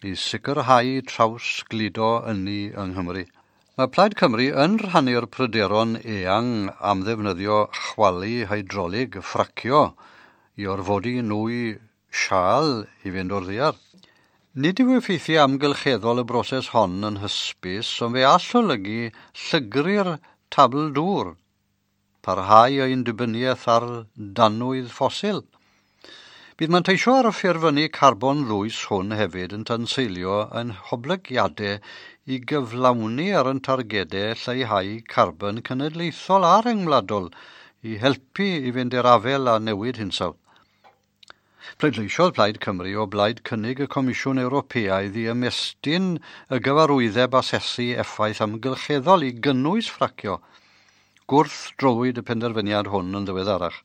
i sicrhau trawsgludo ynni yng Nghymru. Mae Plaid Cymru yn rhannu'r pryderon eang am ddefnyddio chwalu hydrolig ffracio i orfodi nwy siâl i fynd o'r ddaear. Nid yw effeithiau amgylcheddol y broses hon yn hysbys, ond fe all olygu llygru'r tabl dŵr, parhau ein dibyniaeth ar danwydd ffosil. Bydd manteisio ar y ffurfynnu carbon ddwys hwn hefyd yn tanseilio yn hoblygiadau i gyflawni ar yn targedau lleihau carbon cenedlaethol a rhyngwladol i helpu i fynd i'r afael â newid hinsawdd. Pleidleisiodd Plaid Cymru o blaid cynnig y Comisiwn Ewropeaidd i ymestyn y gyfarwyddeb asesu effaith amgylcheddol i gynnwys ffracio. Gwrthdrowyd y penderfyniad hwn yn ddiweddarach.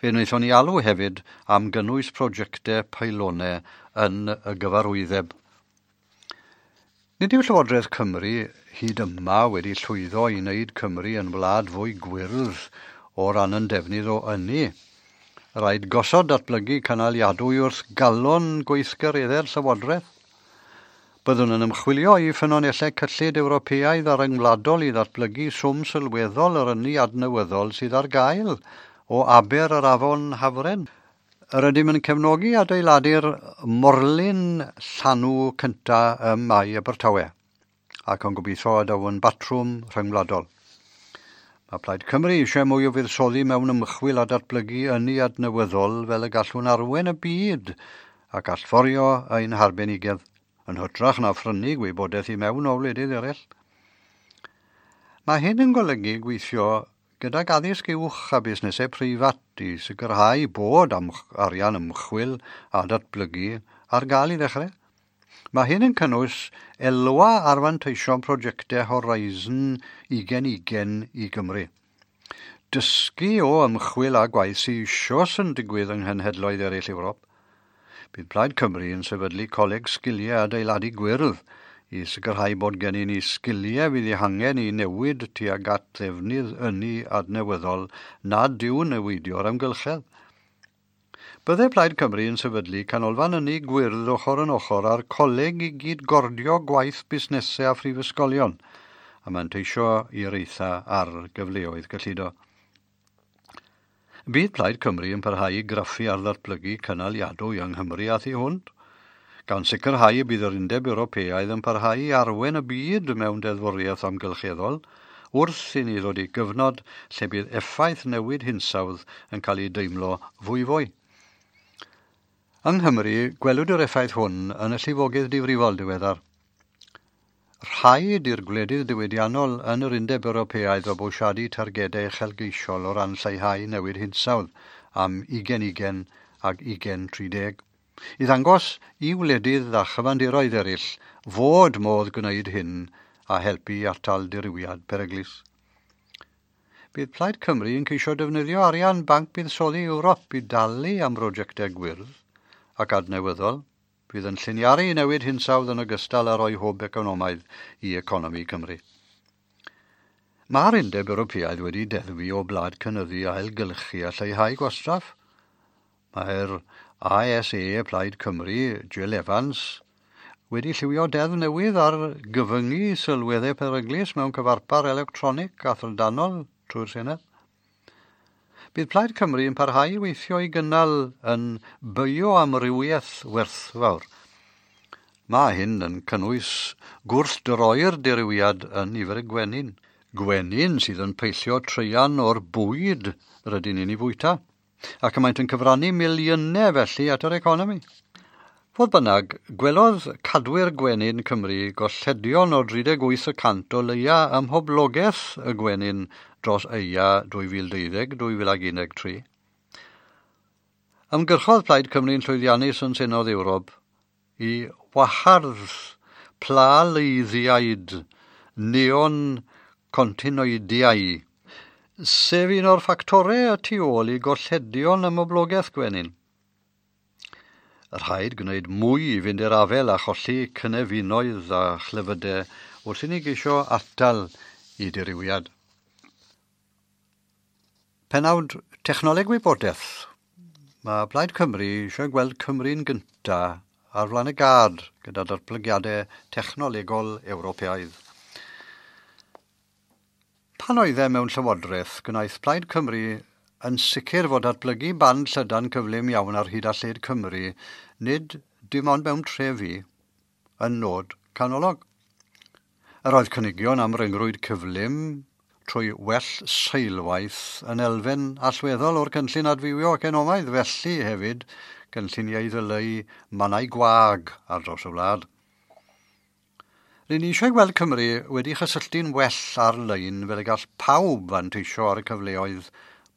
Fe wnaethon ni alw hefyd am gynnwys prosiectau peilonau yn y gyfarwyddeb. Nid yw Llywodraeth Cymru hyd yma wedi llwyddo i wneud Cymru yn wlad fwy gwyrdd o ran yn defnydd o ynni. Rhaid gosod datblygu cynaliadwy wrth galon gweithgareddau'r Llywodraeth. Byddwn yn ymchwilio i ffynonellau cyllid Ewropeaidd a ryngwladol i ddatblygu swm sylweddol yr ynni adnewyddol sydd ar gael o aber yr afon Hafren. Yr ydym yn cefnogi adeiladu'r morlyn llanw cyntaf ym Mae Abertawe ac yn gobeithio y daw yn batrwm rhyngwladol. Mae Plaid Cymru eisiau mwy o fuddsoddi mewn ymchwil a datblygu ynni adnewyddol fel y gallwn arwain y byd ac allforio ein harbenigedd yn hytrach na phrynu gwybodaeth i mewn o wledydd eraill. Mae hyn yn golygu gweithio gydag addysg uwch a busnesau preifat i sicrhau bod arian ymchwil a datblygu ar gael i ddechrau. Mae hyn yn cynnwys elwa ar fanteision prosiectau Horizon 2020 i Gymru. Dysgu o ymchwil a gwaith sydd eisoes yn digwydd yng nghenhedloedd eraill Ewrop. Bydd Plaid Cymru yn sefydlu Coleg Sgiliau Adeiladu Gwyrdd i sicrhau bod gennym ni sgiliau fydd eu hangen i newid tuag at ddefnydd ynni adnewyddol nad yw'n newidio'r amgylchedd. Byddai Plaid Cymru yn sefydlu canolfan ynni gwyrdd ochr yn ochr â'r coleg i gyd-gordio gwaith busnesau a phrifysgolion, a manteisio i'r eitha ar gyfleoedd gyllido. Bydd Plaid Cymru yn parhau i graffu ar ddatblygu cynaliadwy yng Nghymru a thu hwnt, gan sicrhau y bydd yr Undeb Ewropeaidd yn parhau i arwain y byd mewn deddfwriaeth amgylcheddol wrth i ni ddod i gyfnod lle bydd effaith newid hinsawdd yn cael ei deimlo fwyfwy. Yng Nghymru, gwelwyd yr effaith hwn yn y llifogydd difrifol diweddar. Rhaid i'r gwledydd diwydiannol yn yr Undeb Ewropeaidd fabwysiadu targedau uchelgeisiol o ran lleihau newid hinsawdd am 2020 ac 2030. I ddangos i wledydd a chyfandiroedd eraill fod modd gwneud hyn a helpu i atal dirywiad peryglus. Bydd Plaid Cymru yn ceisio defnyddio arian Banc Buddsoddi Ewrop i dalu am brosiectau gwyrdd ac adnewyddol fydd yn lliniaru newid hinsawdd yn ogystal â rhoi hwb economaidd i economi Cymru. Mae'r Undeb Ewropeaidd wedi deddfu o blaid cynyddu ailgylchu a lleihau gwastraff. Mae'r ASA Plaid Cymru, Jill Evans, wedi lliwio deddf newydd ar gyfyngu sylweddau peryglus mewn cyfarpar electronig a thrydanol trwy'r Senedd. Bydd Plaid Cymru yn parhau i weithio i gynnal yn bioamrywiaeth werthfawr. Mae hyn yn cynnwys gwrthdroi'r dirywiad yn nifer y gwenyn. Gwenyn sydd yn peillio traean o'r bwyd rydyn ni'n ei fwyta, ac y maent yn cyfrannu miliynau felly at yr economi. Fodd bynnag, gwelodd cadwyr gwenyn Cymru golledion o 38% o leia ym mhoblogaeth y gwenyn dros eia 2012-2013. Ymgyrchodd Plaid Cymru'n llwyddiannus yn Senedd Ewrop i wahardd plaleiddiaid neonicotinoidiau, sef un o'r ffactorau y tu ôl i golledion ym mhoblogaeth gwenyn. Rhaid gwneud mwy i fynd i'r afael a cholli cynefinoedd a chlefydau wrth i ni geisio atal i dirywiad. Penawd Technoleg Wybodaeth. Mae Plaid Cymru eisiau gweld Cymru'n gynta ar flaen y gad gyda datblygiadau technolegol Ewropeaidd. Pan oedd e mewn llywodraeth, gwnaeth Plaid Cymru yn sicr fod datblygu band llydan cyflym iawn ar hyd a lled Cymru, nid dim ond mewn trefi, yn nod canolog. Yr oedd cynigion am ryngrwyd cyflym, trwy well seilwaith yn elfen allweddol o'r cynllun adfywio economaidd, felly hefyd gynlluniau ddyleu mannau gwag ar draws y wlad. Rydyn ni eisiau gweld Cymru wedi chysylltu'n well ar-lein fel y gall pawb fanteisio ar y cyfleoedd,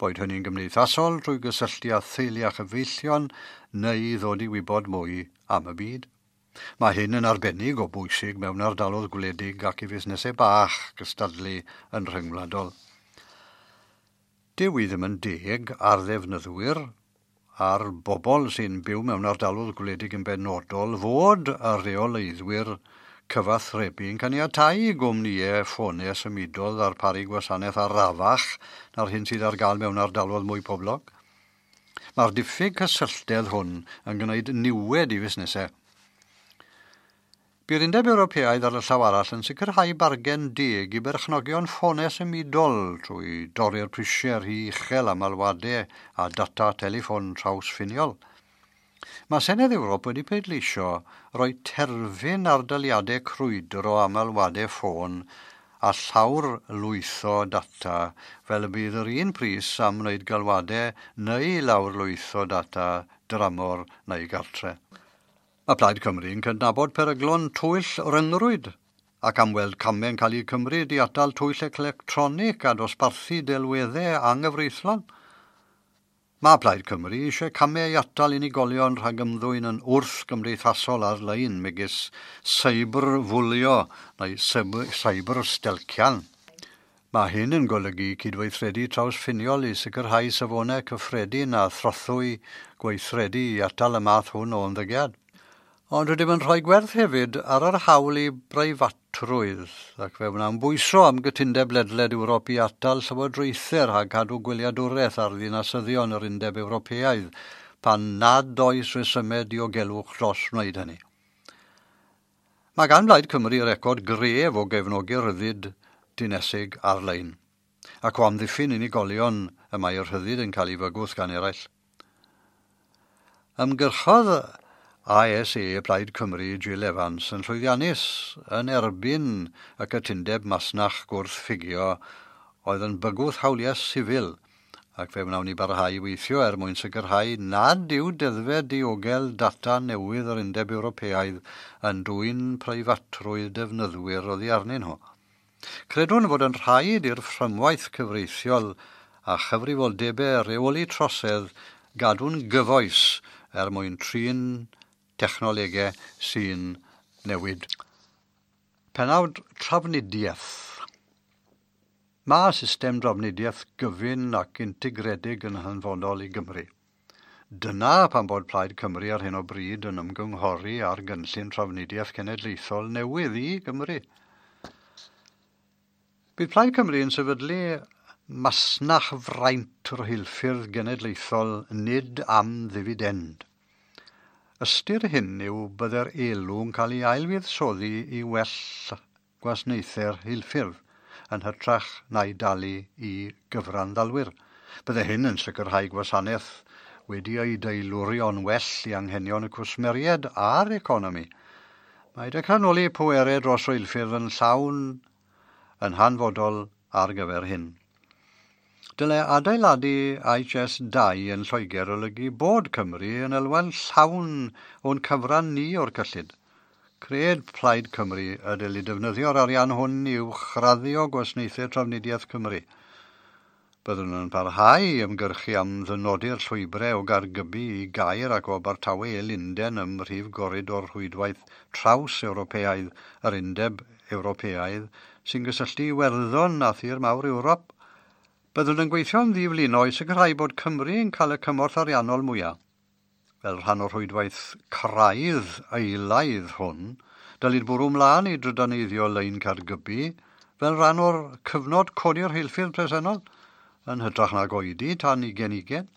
boed hynny'n gymdeithasol trwy gysylltu â theulu a chyfeillion neu ddod i wybod mwy am y byd. Mae hyn yn arbennig o bwysig mewn ardaloedd gwledig ac i fusnesau bach gystadlu yn rhyngwladol. Dyw i ddim yn deg ar ddefnyddwyr a'r bobl sy'n byw mewn ardaloedd gwledig yn benodol fod y rheoleiddwyr cyfathrebu yn caniatáu i gwmnïau ffonau symudol ddarparu gwasanaeth arafach na'r hyn sydd ar gael mewn ardaloedd mwy poblog. Mae'r diffyg cysylltedd hwn yn gwneud niwed i fusnesau. Bu'r Undeb Ewropeaidd ar y llaw arall yn sicrhau bargen deg i berchnogion ffonau symudol trwy dorri'r prisiau rhy uchel am alwadau a data teleffon trawsffiniol. Mae Senedd Ewrop wedi pleidleisio roi terfyn ar daliadau crwydro am alwadau ffôn a llawr lwytho data fel y bydd yr un pris am wneud galwadau neu lawr lwytho data dramor neu gartre. Mae Plaid Cymru yn cydnabod peryglon twyll ryngrwyd ac am weld camau'n cael eu cymryd i atal twyll electronig a dosbarthu delweddau anghyfreithlon. Mae Plaid Cymru eisiau camau i atal unigolion rhag ymddwyn yn wrth-gymdeithasol ar-lein megis cyberfwlio neu cyberstelcian. Mae hyn yn golygu cydweithredu trawsffiniol i sicrhau safonau cyffredin a throthwy gweithredu i atal y math hwn o ymddygiad. Ond rydym yn rhoi gwerth hefyd ar yr hawl i breifatrwydd, ac fe wnawn bwyso am gytundeb ledled Ewrop i atal llywodraethau rhag cadw gwyliadwraeth ar ddinasyddion yr Undeb Ewropeaidd pan nad oes rhesymau diogelwch dros wneud hynny. Mae gan Blaid Cymru record gref o gefnogi rhyddid dinesig ar-lein, ac o amddiffyn unigolion y mae'r rhyddid yn cael ei fygwth gan eraill. Ymgyrchodd ASA Plaid Cymru Jill Evans yn llwyddiannus yn erbyn y cytundeb masnach gwrthffugio oedd yn bygwth hawliau sifil, ac fe wnawn ni barhau i weithio er mwyn sicrhau nad yw deddfau diogel data newydd yr Undeb Ewropeaidd yn dwyn preifatrwydd defnyddwyr oddi arnyn nhw. Credwn fod yn rhaid i'r fframwaith cyfreithiol a chyfrifoldebau rheoli trosedd gadw'n gyfoes er mwyn trin technolegau sy'n newid. Penawd trafnidiaeth. Mae system drafnidiaeth gyfun ac integredig yn hanfodol i Gymru. Dyna pam bod Plaid Cymru ar hyn o bryd yn ymgynghori ar gynllun trafnidiaeth cenedlaethol newydd i Gymru. Bydd Plaid Cymru yn sefydlu masnachfraint rheilffyrdd genedlaethol nid am ddifidend. Ystyr hyn yw byddai'r elw'n cael ei ailfuddsoddi i well gwasanaethau'r rheilffyrdd yn hytrach na'i dalu i gyfranddalwyr. Byddai hyn yn sicrhau gwasanaeth wedi ei deilwrio'n well i anghenion y cwsmeriaid a'r economi. Mae datganoli pwerau dros reilffyrdd yn llawn yn hanfodol ar gyfer hyn. Dylai adeiladu HS2 yn Lloegr olygu bod Cymru yn elwa'n llawn o'n cyfran ni o'r cyllid. Cred Plaid Cymru y dylid defnyddio'r arian hwn i uwchraddio gwasanaethau trafnidiaeth Cymru. Byddwn yn parhau i ymgyrchu am ddynodi'r llwybrau o Gaergybi i Gaer ac o Abertawe i Lunden ym mhrif goridor rhwydwaith traws Ewropeaidd yr Undeb Ewropeaidd sy'n gysylltu Iwerddon a thir mawr Ewrop. Byddwn yn gweithio'n ddiflino i sicrhau bod Cymru yn cael y cymorth ariannol mwyaf. Fel rhan o'r rhwydwaith craidd eilaidd hwn, dylid bwrw mlaen i drydaneiddio lein Caergybi fel rhan o'r cyfnod codi'r rheilffyrdd presennol, yn hytrach nag oedi tan 2020.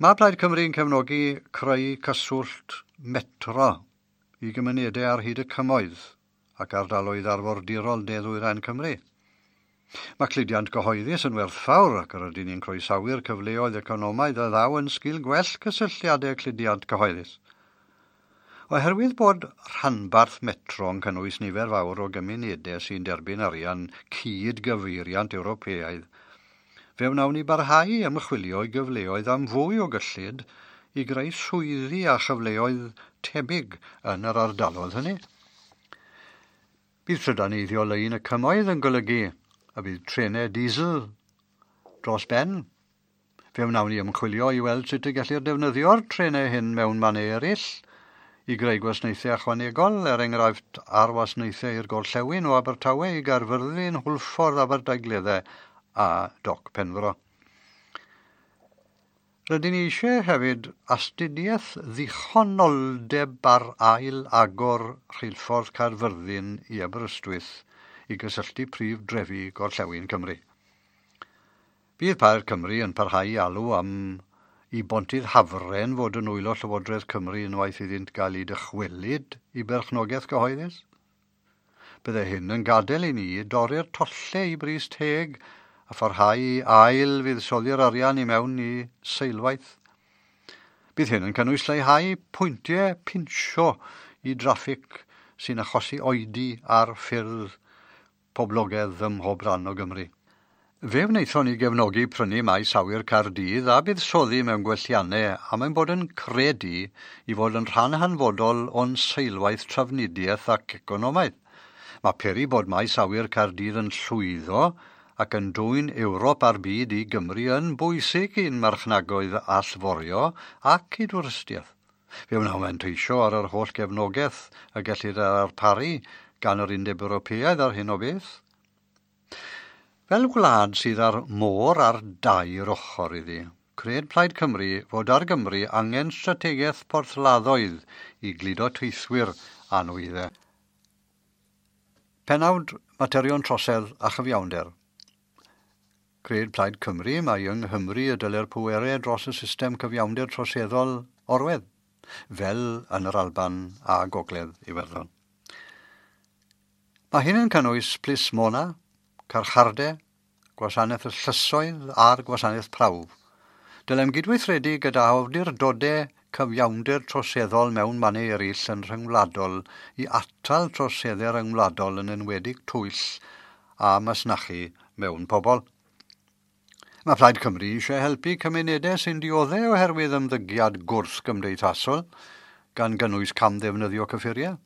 Mae Plaid Cymru yn cefnogi creu cyswllt metro i gymunedau ar hyd y cymoedd ac ardaloedd arfordirol de-ddwyrain Cymru. Mae cludiant gyhoeddus yn werthfawr ac yr ydyn ni'n croesawu'r cyfleoedd economaidd a ddaw yn sgil gwell cysylltiadau cludiant cyhoeddus. Oherwydd bod rhanbarth Metro yn cynnwys nifer fawr o gymunedau sy'n derbyn arian cyd-gyfeiriant Ewropeaidd, fe wnawn ni barhau ymchwilio i gyfleoedd am fwy o gyllid i greu swyddi a chyfleoedd tebyg yn yr ardaloedd hynny. Bydd trydaneiddio lein y cymoedd yn golygu y bydd trenau diesel dros ben. Fe wnawn ni ymchwilio i weld sut y gellir defnyddio'r trenau hyn mewn mannau eraill i greu gwasanaethau ychwanegol, er enghraifft ar wasanaethau i'r gorllewin o Abertawe i Gaerfyrddin, Hwlffordd, Aberdaugleddau a Doc Penfro. Rydyn ni eisiau hefyd astudiaeth ddichonoldeb ar ail agor rheilffordd Caerfyrddin i Aberystwyth i gysylltu prif drefi gorllewin Cymru. Bydd Plaid Cymru yn parhau i alw am i bontydd Hafren fod yn nwylo Llywodraeth Cymru unwaith iddynt gael eu dychwelyd i berchnogaeth gyhoeddus. Bydde hyn yn gadael i ni dorri'r tollau i bris teg a pharhau i ail fuddsoddi'r arian i mewn i seilwaith. Bydd hyn yn cynnwys lleihau pwyntiau pinsio i draffig sy'n achosi oedi ar ffyrdd poblogaidd ym mhob rhan o Gymru. Fe wnaethon ni gefnogi prynu maes awyr Caerdydd a buddsoddi mewn gwelliannau am ein bod yn credu i fod yn rhan hanfodol o'n seilwaith trafnidiaeth ac economaidd. Mae peri bod maes awyr Caerdydd yn llwyddo ac yn dwyn Ewrop a'r byd i Gymru yn bwysig i'n marchnagoedd allforio ac i dwristiaeth. Fe wnawn manteisio ar yr holl gefnogaeth y gellir ei ddarparu gan yr Undeb Ewropeaidd ar hyn o beth. Fel gwlad sydd â'r môr ar dair ochr iddi, cred Plaid Cymru fod ar Gymru angen strategaeth porthladdoedd i gludo teithwyr a nwyddau. Penawd materion trosedd a chyfiawnder. Cred Plaid Cymru mai yng Nghymru y dyle'r pwerau dros y system cyfiawnder troseddol orwedd, fel yn yr Alban a Gogledd Iwerddon. Mae hyn yn cynnwys plismona, carchardau, gwasanaeth y llysoedd a'r gwasanaeth prawf. Dylem gydweithredu gyda awdurdodau cyfiawnder troseddol mewn mannau eraill yn rhyngwladol i atal troseddau rhyngwladol yn enwedig twyll a masnachu mewn pobl. Mae Plaid Cymru eisiau helpu cymunedau sy'n dioddef oherwydd ymddygiad gwrth-gymdeithasol, gan gynnwys camddefnyddio cyffuriau.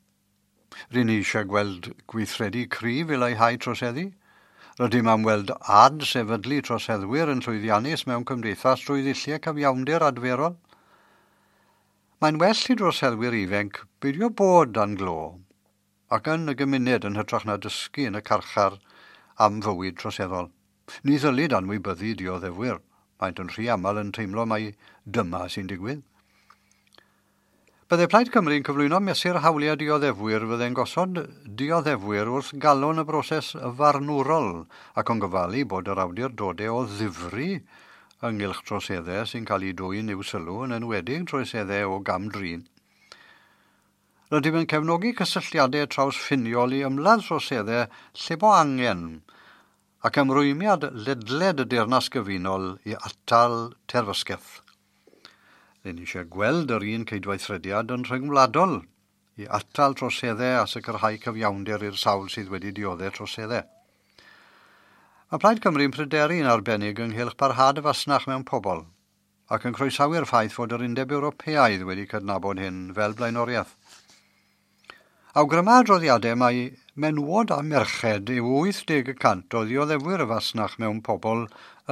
Rŷn ni eisiau gweld gweithredu cryf i leihau troseddu. Rydym am weld adsefydlu troseddwyr yn llwyddiannus mewn cymdeithas drwy ddulliau cyfiawnder adferol. Mae'n well i droseddwyr ifanc beidio bod dan glo ac yn y gymuned yn hytrach na dysgu yn y carchar am fywyd troseddol. Ni ddylid anwybyddu dioddefwyr. Maent yn rhy aml yn teimlo mai dyma sy'n digwydd. Byddai Plaid Cymru yn cyflwyno mesur hawliau dioddefwyr fyddai'n gosod dioddefwyr wrth galon y broses farnwrol ac yn gofalu bod yr awdurdodau o ddifri ynghylch troseddau sy'n cael eu dwyn i'w sylw yn enwedig troseddau o gam-drin. Rydym yn cefnogi cysylltiadau trawsffiniol i ymladd troseddau lle bo angen ac ymrwymiad ledled y Deyrnas Gyfunol i atal terfysgaeth. Rŷn ni eisiau gweld yr un cydweithrediad yn rhyngwladol i atal troseddau a sicrhau cyfiawnder i'r sawl sydd wedi dioddef troseddau. Mae Plaid Cymru'n pryderu'n arbennig ynghylch parhad y fasnach mewn pobl ac yn croesawu'r ffaith fod yr Undeb Ewropeaidd wedi cydnabod hyn fel blaenoriaeth. Awgryma adroddiadau mai menywod a merched yw 80% o ddioddefwyr y fasnach mewn pobl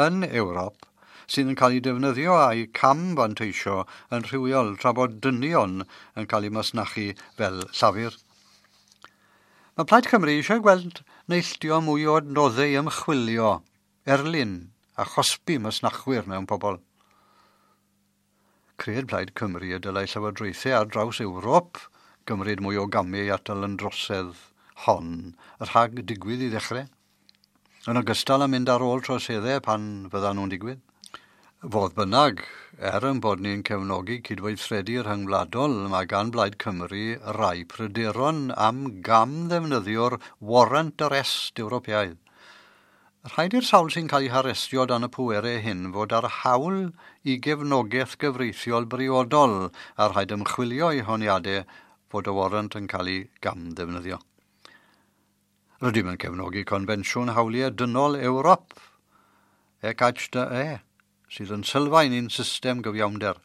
yn Ewrop sydd yn cael eu defnyddio a'u cam-fanteisio yn rhywiol tra bod dynion yn cael eu masnachu fel llafur. Mae Plaid Cymru eisiau gweld neilltuo mwy o adnoddau ymchwilio, erlyn a chosbi masnachwyr mewn pobl. Cred Plaid Cymru y dylai llywodraethau ar draws Ewrop gymryd mwy o gamau i atal yn drosedd hon rhag digwydd i ddechrau, yn ogystal â mynd ar ôl troseddau pan fyddan nhw'n digwydd. Fodd bynnag, er yn bod ni'n cefnogi cydweithredu rhyngwladol, mae gan Blaid Cymru rai pryderon am gam ddefnyddio'r warrant arrest Ewropeaidd. Rhaid i'r sawl sy'n cael eu harestio dan y pwerau hyn fod ar hawl i gefnogaeth gyfreithiol briodol a rhaid ymchwilio i honiadau fod y warrant yn cael ei gamddefnyddio. Rydym yn cefnogi Confensiwn Hawliau Dynol Ewrop, ECHDE, sydd yn sylfaen i'n system gyfiawnder.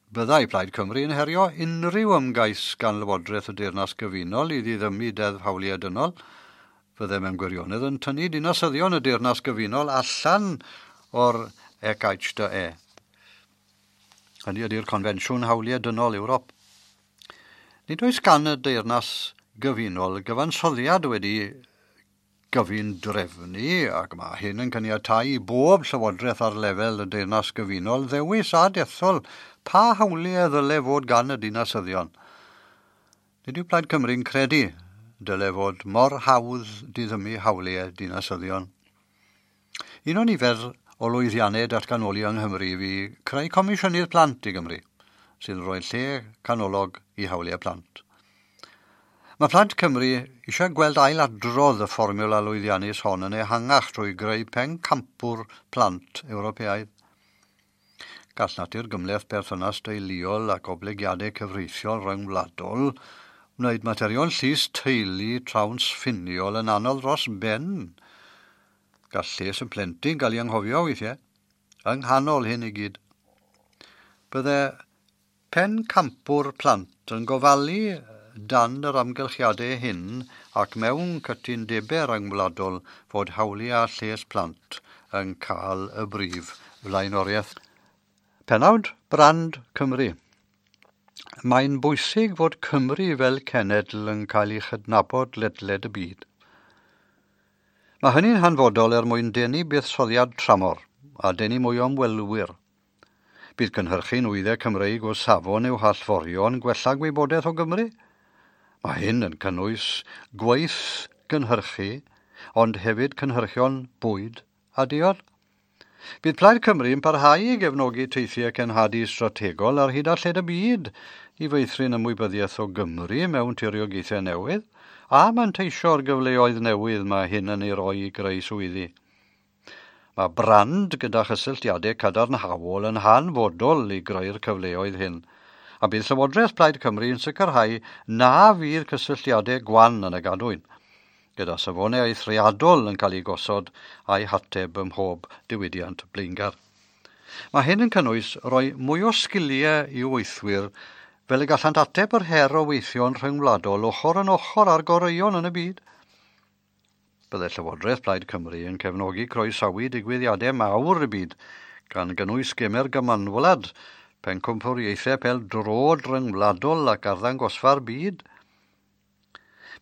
Byddai Plaid Cymru yn herio unrhyw ymgais gan Lywodraeth y Deyrnas Gyfunol i ddiddymu Deddf Hawliau Dynol. Fyddai mewn gwirionedd yn tynnu dinasyddion y Deyrnas Gyfunol allan o'r ECHDE. Hynny ydy'r Confensiwn Hawliau Dynol Ewrop. Nid oes gan y Deyrnas Gyfunol gyfansoddiad wedi gyfun drefnu, ac mae hyn yn caniatáu i bob llywodraeth ar lefel y Deyrnas Gyfunol ddewis a dethol pa hawliau ddyle fod gan y dinasyddion. Nid yw Plaid Cymru'n credu dyle fod mor hawdd diddymu hawliau dinasyddion. Un o nifer o lwyddiannau datganoli yng Nghymru fu creu Comisiynydd Plant i Gymru, sydd yn rhoi lle canolog i hawliau plant. Mae Plant Cymru eisiau gweld ailadrodd y fformiwla lwyddiannus hon yn ehangach trwy greu pencampwr plant Ewropeaidd. Gall natur gymhleth perthynas deuluol ac oblygiadau cyfreithiol rhyngwladol wneud materion llys teulu trawsffiniol yn anodd dros ben. Gall lles y plentyn gael ei anghofio weithiau, yng nghanol hyn i gyd. Bydde pencampwr plant yn gofalu dan yr amgylchiadau hyn ac mewn cytundebau rhyngwladol fod hawliau a lles plant yn cael y brif flaenoriaeth. Pennawd Brand Cymru. Mae'n bwysig fod Cymru fel cenedl yn cael ei chydnabod ledled y byd. Mae hynny'n hanfodol er mwyn denu buddsoddiad tramor a denu mwy o ymwelwyr. Bydd cynhyrchu nwyddau Cymreig o safon i'w hallforion gwella gwybodaeth o Gymru. Mae hyn yn cynnwys gwaith gynhyrchu, ond hefyd cynhyrchion bwyd a diod. Bydd Plaid Cymru yn parhau i gefnogi teithiau cenhadu strategol ar hyd a lled y byd i feithrin ymwybyddiaeth o Gymru mewn tiriogaethau newydd a manteisio'r gyfleoedd newydd mae hyn yn ei roi i greu swyddi. Mae brand gyda chysylltiadau cadarnhaol yn hanfodol i greu'r cyfleoedd hyn, a bydd Llywodraeth Plaid Cymru yn sicrhau na fydd cysylltiadau gwan yn y gadwyn, gyda safonau eithriadol yn cael ei gosod a'i hateb ym mhob diwydiant blaengar. Mae hyn yn cynnwys rhoi mwy o sgiliau i weithwyr fel y gallant ateb yr her o weithio'n rhyngwladol ochr yn ochr â'r goreuon yn y byd. Byddai Llywodraeth Plaid Cymru yn cefnogi croesawu digwyddiadau mawr y byd, gan gynnwys Gemau'r Gymanwlad, pencampwriaethau pêl-droed rhyngwladol ac arddangosfa'r byd.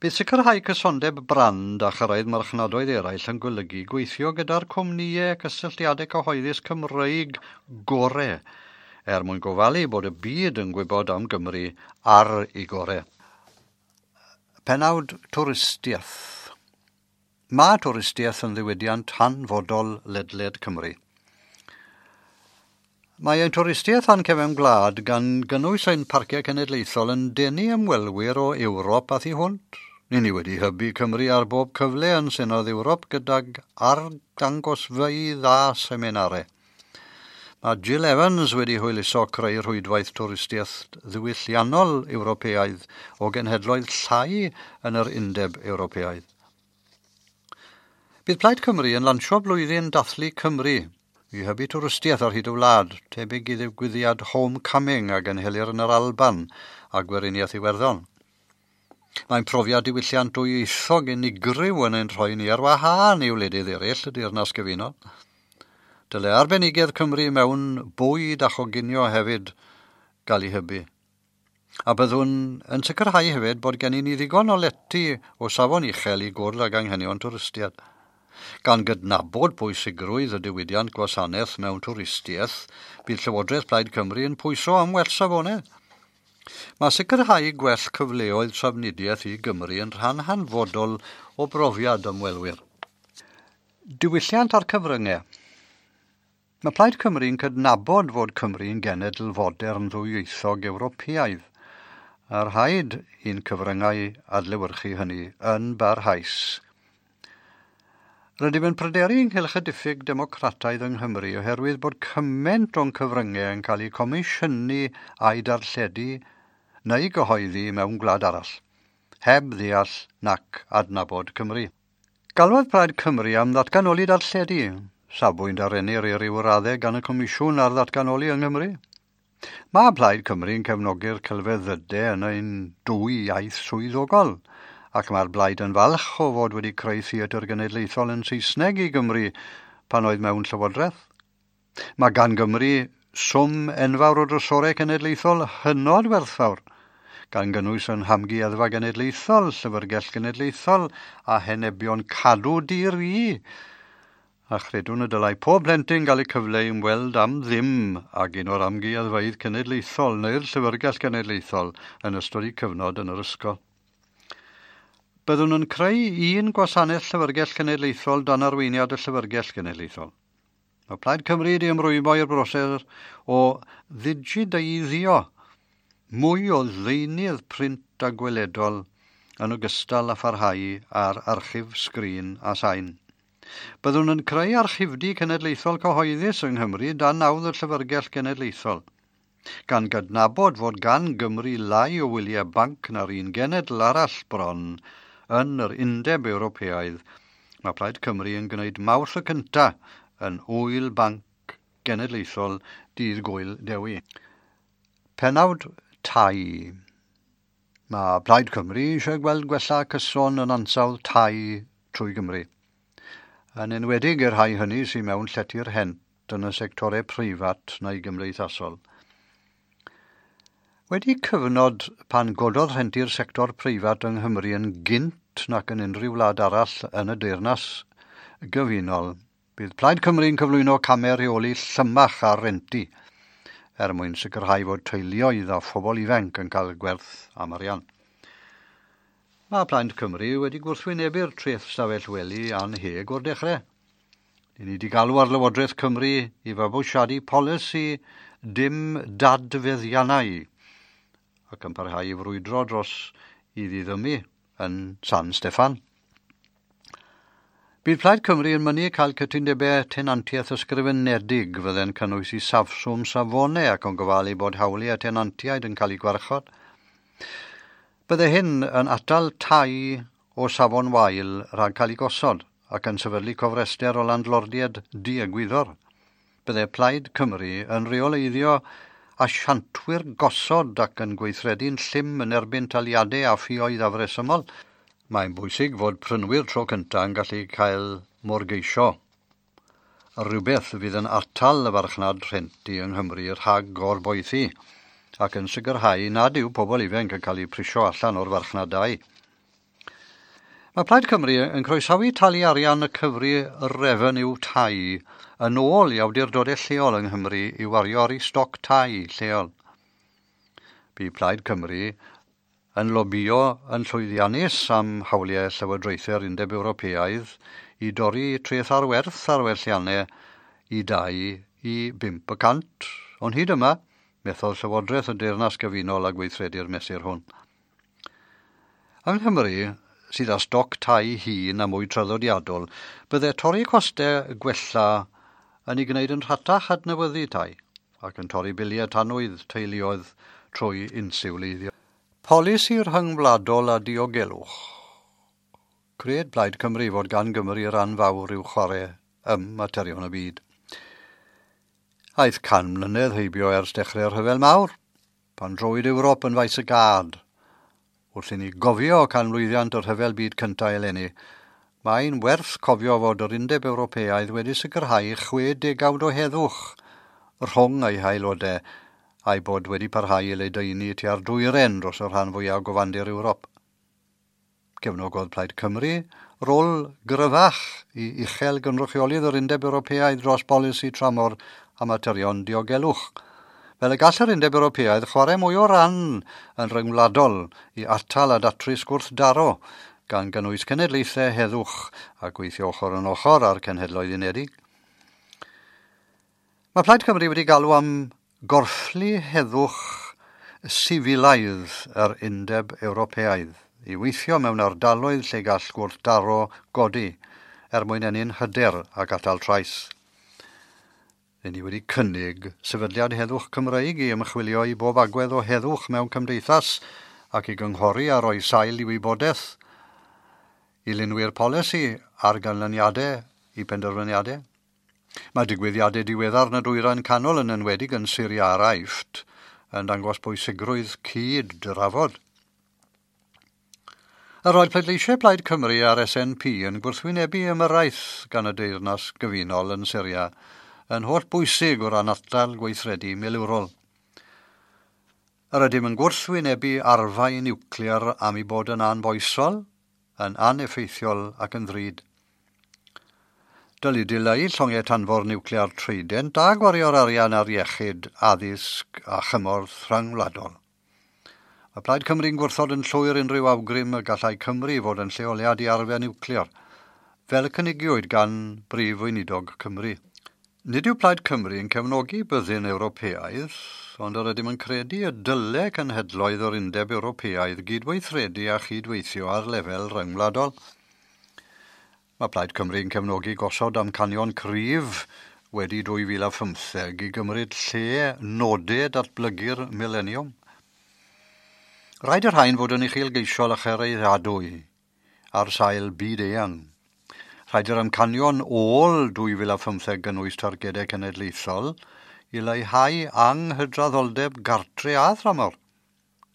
Bydd sicrhau cysondeb brand a chyrraedd marchnadoedd eraill yn golygu gweithio gyda'r cwmnïau cysylltiadau cyhoeddus Cymreig gore, er mwyn gofalu bod y byd yn gwybod am Gymru ar ei gore. Pennawd twristiaeth. Mae twristiaeth yn ddiwydiant hanfodol ledled Cymru. Mae ein twristiaeth a'n cefn gwlad gan gynnwys ein parciau cenedlaethol yn denu ymwelwyr o Ewrop a thu hwnt. Ni wedi hybu Cymru ar bob cyfle yn Senedd Ewrop gydag arddangosfeydd a seminarau. Mae Jill Evans wedi hwyluso creu rhwydwaith twristiaeth ddiwylliannol Ewropeaidd o genhedloedd llai yn yr Undeb Ewropeaidd. Bydd Plaid Cymru yn lansio blwyddyn dathlu Cymru i hybu twristiaeth ar hyd y wlad, tebyg i ddigwyddiad Homecoming a gynhelir yn yr Alban a Gweriniaeth Iwerddon. Mae'n profiad diwylliant dwyieithog unigryw yn ein rhoi ni ar wahân i wledydd eraill y Deyrnas Gyfunol. Dyle arbenigedd Cymru mewn bwyd a choginio hefyd gael ei hybu. A byddwn yn sicrhau hefyd bod gennym ni ddigon o lety o safon uchel i gwrdd ag anghenion twristiaid. Gan gydnabod pwysigrwydd y diwydiant gwasanaeth mewn twristiaeth, bydd Llywodraeth Plaid Cymru yn pwyso am well safonau. Mae sicrhau gwell cyfleoedd trafnidiaeth i Gymru yn rhan hanfodol o brofiad ymwelwyr. Diwylliant a'r cyfryngau. Mae Plaid Cymru'n cydnabod fod Cymru'n genedl fodern ddwyieithog Ewropeaidd, a rhaid i'n cyfryngau adlewyrchu hynny yn barhaus. Rydym yn pryderu ynghylch y diffyg democrataidd yng Nghymru oherwydd bod cymaint o'n cyfryngau yn cael eu comisiynu a'u darlledu neu gyhoeddi mewn gwlad arall, heb ddeall nac adnabod Cymru. Galwodd Plaid Cymru am ddatganoli darlledu, safbwynt a rennir i ryw raddau gan y Comisiwn ar ddatganoli yng Nghymru. Mae Plaid Cymru yn cefnogi'r celfyddydau yn ein dwy iaith swyddogol, ac mae'r blaid yn falch o fod wedi creu theatr genedlaethol yn Saesneg i Gymru pan oedd mewn llywodraeth. Mae gan Gymru swm enfawr o drysorau cenedlaethol hynod werthfawr, gan gynnwys yn Hamgueddfa Genedlaethol, Llyfrgell Genedlaethol a henebion cadw di-ri. A chredwn y dylai pob plentyn gael eu cyfle i ymweld am ddim ag un o'r amgueddfeydd cenedlaethol neu'r Llyfrgell Genedlaethol yn ystod eu cyfnod yn yr ysgol. Byddwn yn creu un gwasanaeth Llyfrgell Genedlaethol dan arweiniad y Llyfrgell Genedlaethol. Mae Plaid Cymru wedi ymrwymo i'r broses o ddigideiddio mwy o ddeunydd print a gweledol yn ogystal â pharhau ar archif sgrin a sain. Byddwn yn creu archifdy cenedlaethol cyhoeddus yng Nghymru dan nawdd y Llyfrgell Genedlaethol, gan gydnabod fod gan Gymru lai o wyliau banc na'r un genedl arall bron yn yr Undeb Ewropeaidd. Mae Plaid Cymru yn gwneud Mawrth y cynta yn Ŵyl Banc Genedlaethol Dydd Gŵyl Dewi. Pennawd tai. Mae Plaid Cymru eisiau gweld gwella cyson yn ansawdd tai trwy Gymru, yn enwedig i'r rhai hynny sydd mewn llety rhent yn y sectorau preifat neu gymdeithasol. Wedi cyfnod pan gododd rhenti'r sector preifat yng Nghymru yn gynt nac yn unrhyw wlad arall yn y Deyrnas Gyfunol, bydd Plaid Cymru'n cyflwyno camau rheoli llymach ar renti er mwyn sicrhau fod teuluoedd a phobl ifanc yn cael gwerth am arian. Mae Plaid Cymru wedi gwrthwynebu'r treth stafell wely annheg o'r dechrau. Ni wedi galw ar Lywodraeth Cymru i fabwysiadu polisi dim dadfeddiannau ac yn parhau i frwydro dros i ddiddymu yn San Steffan. Bydd Plaid Cymru yn mynnu cael cytundebau tenantiaeth ysgrifenedig fydde'n cynnwys i safswm safonau ac yn gofalu bod hawliau tenantiaid yn cael eu gwarchod. Bydde hyn yn atal tai o safon wael rhag cael eu gosod ac yn sefydlu cofrester o landlordiaid diegwyddor. Bydde Plaid Cymru yn rheoleiddio asiantwyr gosod ac yn gweithredu'n llym yn erbyn taliadau a ffioedd afresymol. Mae'n bwysig fod prynwyr tro cyntaf yn gallu cael morgeisio. Rhywbeth fydd yn atal y farchnad rhenti yng Nghymru rhag gorboethi ac yn sicrhau nad yw pobl ifanc yn cael eu prisio allan o'r farchnad dai. Mae Plaid Cymru yn croesawu talu arian y cyfri refeniw tai yn ôl i awdurdodau lleol yng Nghymru i wario ar eu stoc tai lleol. Bu Plaid Cymru yn lobïo yn llwyddiannus am hawliau llywodraethau'r Undeb Ewropeaidd i dorri treth ar werth ar werthiannau i 2 i 5%, ond hyd yma, methodd Llywodraeth y Deyrnas Gyfunol a gweithredu'r mesur hwn. Yng Nghymru, sydd â stoc tai hŷn a mwy traddodiadol, bydde torri costau gwella yn ei gwneud yn rhatach adnewyddu tai ac yn torri biliau tanwydd teuluoedd trwy insiwleiddio. Polisi rhyngwladol a diogelwch. Cred Plaid Cymru fod gan Gymru ran fawr i'w chwarae ym materion y byd. Aeth 100 mlynedd heibio ers dechrau'r Rhyfel Mawr, pan drowyd Ewrop yn faes y gad. Wrth i ni gofio canmlwyddiant y Rhyfel Byd Cyntaf eleni, mae'n werth cofio fod yr Undeb Ewropeaidd wedi sicrhau 60 o heddwch rhwng ei haelodau a'i bod wedi parhau i ledaenu tua'r dwyrain dros y rhan fwyaf o gyfandir Ewrop. Cefnogodd Plaid Cymru rôl gryfach i uchel gynrychiolydd yr Undeb Ewropeaidd dros bolisi tramor a materion diogelwch, fel y gall yr Undeb Ewropeaidd chwarae mwy o ran yn rhyngwladol i atal a datrys gwrthdaro, gan gynnwys cenedlaethau heddwch a gweithio ochr yn ochr â'r Cenhedloedd Unedig. Mae Plaid Cymru wedi galw am gorfflu heddwch sifilaidd yr Undeb Ewropeaidd i weithio mewn ardaloedd lle gall gwrthdaro godi er mwyn ennyn hyder ac atal trais. Rydyn ni wedi cynnig sefydliad heddwch Cymreig i ymchwilio i bob agwedd o heddwch mewn cymdeithas ac i gynghori a roi sail i wybodaeth, i lunwyr polisi ar ganlyniadau i penderfyniadau. Mae digwyddiadau diweddar yn y Dwyrain Canol, yn enwedig yn Syria a'r Aifft, yn dangos bwysigrwydd cyd drafod. Yr oedd pleidleisiau Plaid Cymru a'r SNP yn gwrthwynebu ymyrraeth gan y Deyrnas Gyfunol yn Syria yn holl bwysig o ran atal gweithredu milwrol. Yr ydym yn gwrthwynebu arfau niwclear am ei bod yn anfoesol, yn aneffeithiol ac yn ddrud. Dylid dileu llongau tanfor niwclear Trident a gwario'r arian ar iechyd, addysg a chymorth rhyngwladol. Mae Plaid Cymru'n gwrthod yn llwyr unrhyw awgrym y gallai Cymru fod yn lleoliad i arfau niwclear, fel y cynigiwyd gan Brif Weinidog Cymru. Nid yw Plaid Cymru yn cefnogi byddin Ewropeaidd, ond yr ydym yn credu y dyle cenhedloedd o'r Undeb Ewropeaidd gydweithredu a chydweithio ar lefel ryngwladol. Mae Plaid Cymru yn cefnogi gosod amcanion cryf wedi 2015 i gymryd lle nodau datblygu'r mileniwm. Rhaid y rhain fod yn uchelgeisiol a chyraeddadwy ar sail byd eang. Rhaid yr amcanion ôl 2015 gynnwys targedau cenedlaethol i leihau anghydraddoldeb gartre a thramor,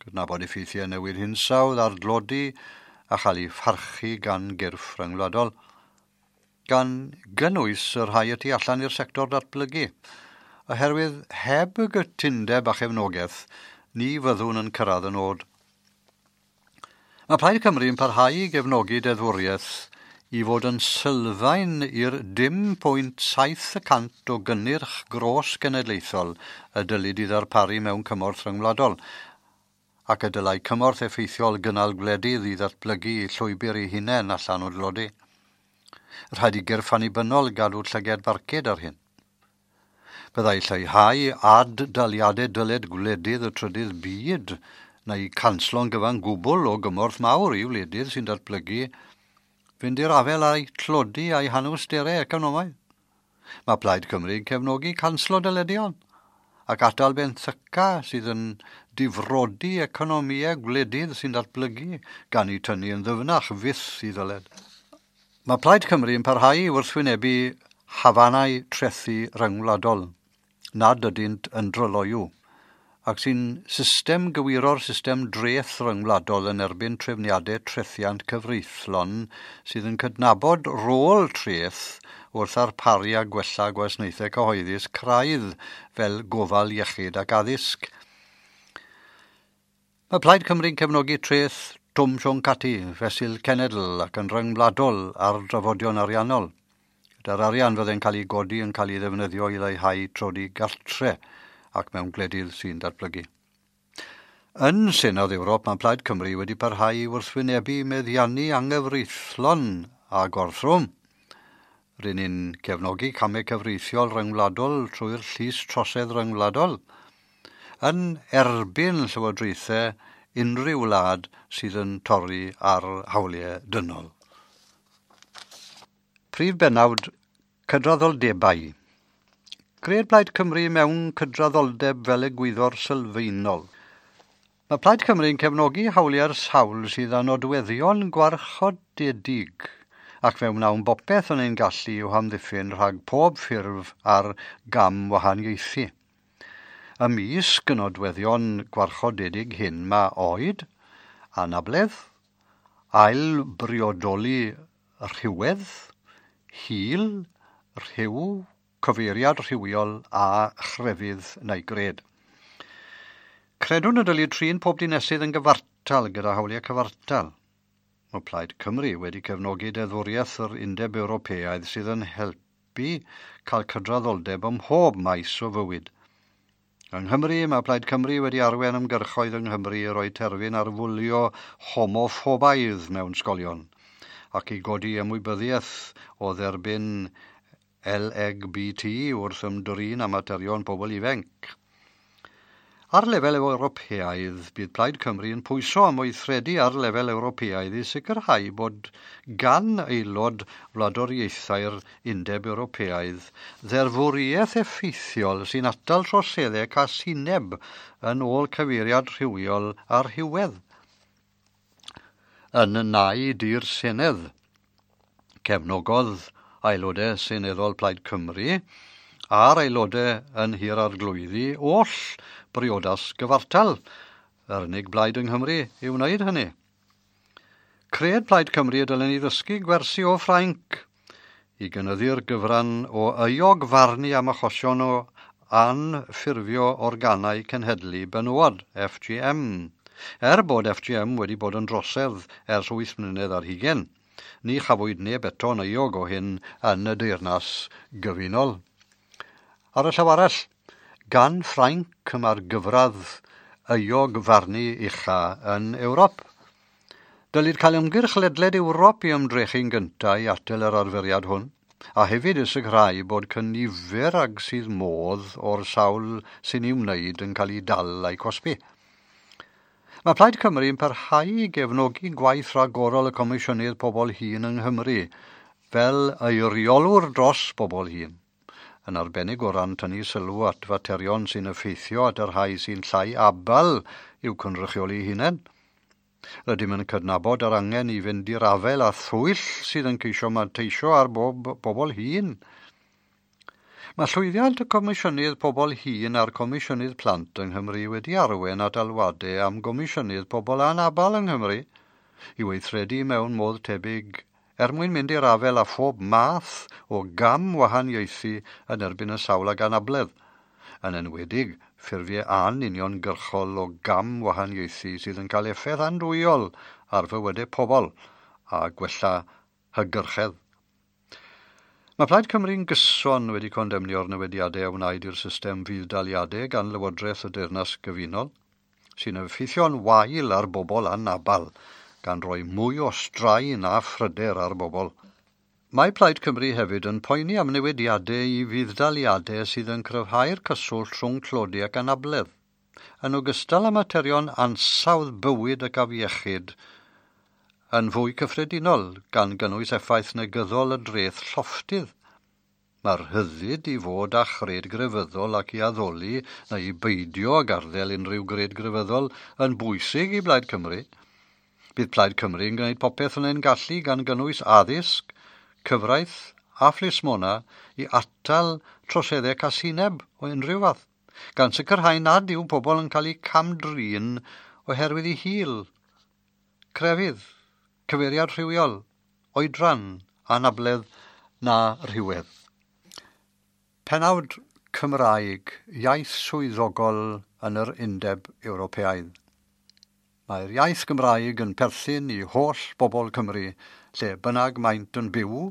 cydnabod effeithiau newid hinsawdd ar dlodi a chael ei pharchu gan gyrff rhyngwladol, gan gynnwys y rhai y tu allan i'r sector datblygu, oherwydd heb y gytundeb a chefnogaeth, ni fyddwn yn cyrraedd y nod. Mae Plaid Cymru yn parhau i gefnogi deddfwriaeth i fod yn sylfaen i'r 0.7% o gynnyrch gros genedlaethol y dylid i ddarparu mewn cymorth rhyngwladol, ac y dylai cymorth effeithiol gynnal gwledydd i ddatblygu llwybr eu hunain allan o dlodi. Rhaid i gyrff annibynnol gadw llygad barcud ar hyn. Byddai lleihau ad-daliadau dyled gwledydd y trydydd byd neu canslo'n gyfan gwbl o gymorth mawr i wledydd sy'n datblygu fynd i'r afael â'i tlodi a'i hanawsterau economaidd. Mae Plaid Cymru yn cefnogi canslo dyledion ac atal benthyca sydd yn difrodi economïau gwledydd sy'n datblygu gan eu tynnu yn ddyfnach fyth i ddyled. Mae Plaid Cymru yn parhau i wrthwynebu hafanau trethu ryngwladol nad ydynt yn dryloyw, ac sy'n system gywiro'r system dreth ryngwladol yn erbyn trefniadau trethiant cyfreithlon sydd yn cydnabod rôl treth wrth arparu a gwella gwasanaethau cyhoeddus craidd fel gofal iechyd ac addysg. Mae Plaid Cymru'n cefnogi treth Twm Siôn Cati fesul cenedl ac yn rhyngwladol ar drafodion ariannol, gyda'r arian fydde'n cael ei godi yn cael ei ddefnyddio i leihau tlodi gartre ac mewn gwledydd sy'n datblygu. Yn Senedd Ewrop, mae Plaid Cymru wedi parhau i wrthwynebu meddiannu anghyfreithlon a gorthrwm. Rŷn ni'n cefnogi camau cyfreithiol ryngwladol trwy'r llys trosedd ryngwladol yn erbyn llywodraethau unrhyw wlad sydd yn torri ar hawliau dynol. Prif bennawd cydraddoldebau. Cred Plaid Cymru mewn cydraddoldeb fel egwyddor sylfaenol. Mae Plaid Cymru yn cefnogi hawliau'r sawl sydd â nodweddion gwarchodedig, ac fe wnawn bopeth yn ein gallu i'w hamddiffyn rhag pob ffurf ar gam wahaniaethu. Ymysg y nodweddion gwarchodedig hyn mae oed, anabledd, ailbriodoli rhywedd, hil, rhyw, cyfeiriad rhywiol a chrefydd neu gred. Credwn y dylid trin pob dinesydd yn gyfartal gyda hawliau cyfartal. Mae Plaid Cymru wedi cefnogi deddfwriaeth yr Undeb Ewropeaidd sydd yn helpu cael cydraddoldeb ym mhob maes o fywyd. Yng Nghymru, mae Plaid Cymru wedi arwain ymgyrchoedd yng Nghymru i roi terfyn ar fwlio homoffobaidd mewn sgolion ac i godi ymwybyddiaeth o dderbyn LGBT wrth ymdrin â materion pobl ifanc. Ar lefel Ewropeaidd, bydd Plaid Cymru yn pwyso am weithredu ar lefel Ewropeaidd i sicrhau bod gan aelod wladwriaethau'r Undeb Ewropeaidd ddeddfwriaeth effeithiol sy'n atal troseddau casineb yn ôl cyfeiriad rhywiol a rhywedd. Yn naid i'r Senedd, cefnogodd aelodau seneddol Plaid Cymru a'r aelodau yn Nhŷ'r Arglwyddi oll briodas gyfartal, yr unig blaid yng Nghymru i wneud hynny. Cred Plaid Cymru y dylen ni ddysgu gwersi o Ffrainc i gynyddu'r gyfran o euog farnu am achosion o anffurfio organau cenhedlu benywod, FGM. Er bod FGM wedi bod yn drosedd ers 8 mlynedd ar hugain, ni chafwyd neb eto'n euog o hyn yn y Deyrnas Gyfunol. Ar y llaw arall, gan Ffrainc mae'r gyfradd euog farnu ucha yn Ewrop. Dylid cael ymgyrch ledled Ewrop i ymdrechu'n gyntaf i atal yr arferiad hwn, a hefyd i sicrhau bod cynifer ag sydd modd o'r sawl sy'n ei wneud yn cael ei dal a'i cosbi. Mae Plaid Cymru yn parhau i gefnogi gwaith rhagorol y Comisiynydd Pobl Hŷn yng Nghymru fel eiriolwr dros bobl hŷn, yn arbennig o ran tynnu sylw at faterion sy'n effeithio at y rhai sy'n llai abal i'w cynrychioli hunain. Rydym yn cydnabod yr angen i fynd i'r afael â thwyll sydd yn ceisio manteisio ar bobl hŷn. Mae llwyddiant y Comisiynydd Pobl Hŷn a'r Comisiynydd Plant yng Nghymru wedi arwain at alwadau am Gomisiynydd Pobl Anabal yng Nghymru i weithredu mewn modd tebyg er mwyn mynd i'r afael â phob math o gam wahaniaethu yn erbyn y sawl ag anabledd, yn enwedig ffurfiau anuniongyrchol o gam wahaniaethu sydd yn cael effaith andwyol ar fywydau pobl a gwella hygyrchedd. Mae Plaid Cymru'n gyson wedi condemnio'r newidiadau a wnaed i'r system fudd-daliadau gan Lywodraeth y Deyrnas Gyfunol, sy'n effeithio'n wael ar bobl anabal, gan roi mwy o straen a phryder ar bobl. Mae Plaid Cymru hefyd yn poeni am newidiadau i fudd-daliadau sydd yn cryfhau'r cyswllt rhwng tlodi ac anabledd, yn ogystal â materion ansawdd bywyd ac afiechyd yn fwy cyffredinol, gan gynnwys effaith negyddol y dreth llofftydd. Mae'r rhyddid i fod â chred grefyddol ac i addoli neu i beidio ag arddel unrhyw gred grefyddol yn bwysig i Blaid Cymru. Bydd Plaid Cymru yn gwneud popeth yn ein gallu gan gynnwys addysg, cyfraith a phlismona i atal troseddau casineb o unrhyw fath, gan sicrhau nad yw pobl yn cael eu cam-drin oherwydd eu hil, crefydd, cyfeiriad rhywiol, oedran, anabledd na rhywedd. Penawd Cymraeg, iaith swyddogol yn yr Undeb Ewropeaidd. Mae'r iaith Gymraeg yn perthyn i holl bobl Cymru, lle bynnag maent yn byw,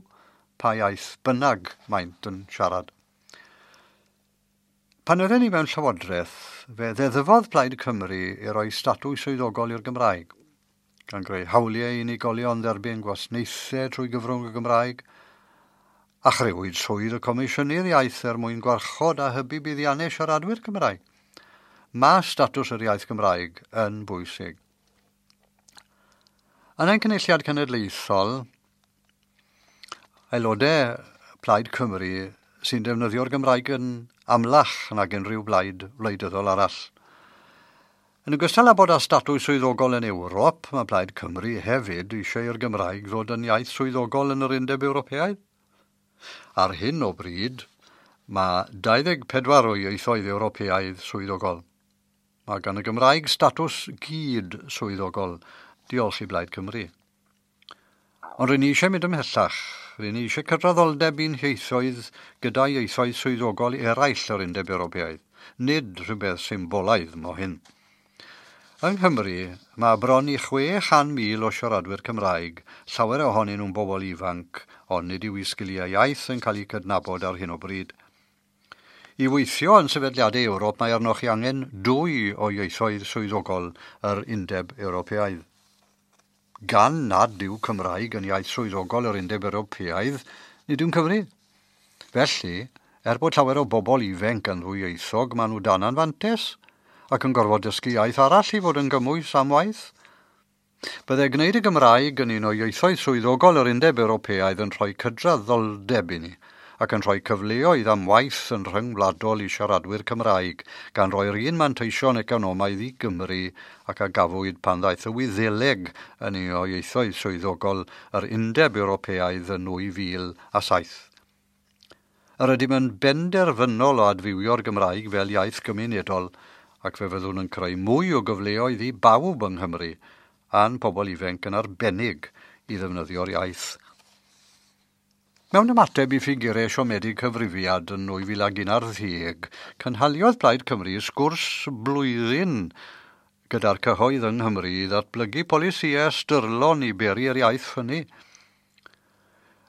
pa iaith bynnag maent yn siarad. Pan oedden ni mewn llywodraeth, fe ddeddfodd Plaid Cymru i roi statws swyddogol i'r Gymraeg, gan greu hawliau i unigolion dderbyn gwasanaethau trwy gyfrwng y Gymraeg, a chrëwyd swydd y Comisiynydd Iaith er mwyn gwarchod a hybu buddiannau siaradwyr Cymraeg. Mae statws yr iaith Gymraeg yn bwysig. Yn ein Cynulliad Cenedlaethol, aelodau Plaid Cymru sy'n defnyddio'r Gymraeg yn amlach nag unrhyw blaid wleidyddol arall. Yn ogystal â bod â statws swyddogol yn Ewrop, mae Plaid Cymru hefyd eisiau i'r Gymraeg ddod yn iaith swyddogol yn yr Undeb Ewropeaidd. Ar hyn o bryd, mae 24 o ieithoedd Ewropeaidd swyddogol. Mae gan y Gymraeg statws gyd swyddogol, diolch i Blaid Cymru. Ond rydyn ni eisiau mynd ymhellach. Rydyn ni eisiau cydraddoldeb i'n hieithoedd gyda ieithoedd swyddogol eraill yr Undeb Ewropeaidd, nid rhywbeth symbolaidd mo hyn. Yng Nghymru, mae bron i 600,000 o siaradwyr Cymraeg, llawer ohonyn nhw'n bobl ifanc, ond nid yw eu sgiliau iaith yn cael eu cydnabod ar hyn o bryd. I weithio yn sefydliadau Ewrop, mae arnoch chi angen 2 o ieithoedd swyddogol yr Undeb Ewropeaidd. Gan nad yw Cymraeg yn iaith swyddogol yr Undeb Ewropeaidd, nid yw'n cyfri. Felly, er bod llawer o bobl ifanc yn ddwyieithog, maen nhw dan anfantais, ac yn gorfod dysgu iaith arall i fod yn gymwys am waith. Byddai gwneud y Gymraeg yn un o ieithoedd swyddogol yr Undeb Ewropeaidd yn rhoi cydraddoldeb i ni, ac yn rhoi cyfleoedd am waith yn rhyngwladol i siaradwyr Cymraeg, gan roi'r un manteision economaidd i Gymru ac a gafwyd pan ddaeth y Wyddeleg yn un o ieithoedd swyddogol yr Undeb Ewropeaidd yn 2007. Yr ydym yn benderfynol o adfywio'r Gymraeg fel iaith gymunedol, ac fe fyddwn yn creu mwy o gyfleoedd i bawb yng Nghymru, a'n pobl ifanc yn arbennig i ddefnyddio'r iaith. Mewn ymateb i ffigurau siomedig cyfrifiad yn 2011, cynhaliodd Plaid Cymru sgwrs blwyddyn gyda'r cyhoedd yng Nghymru i ddatblygu polisïau ystyrlon i beri'r iaith ffynnu.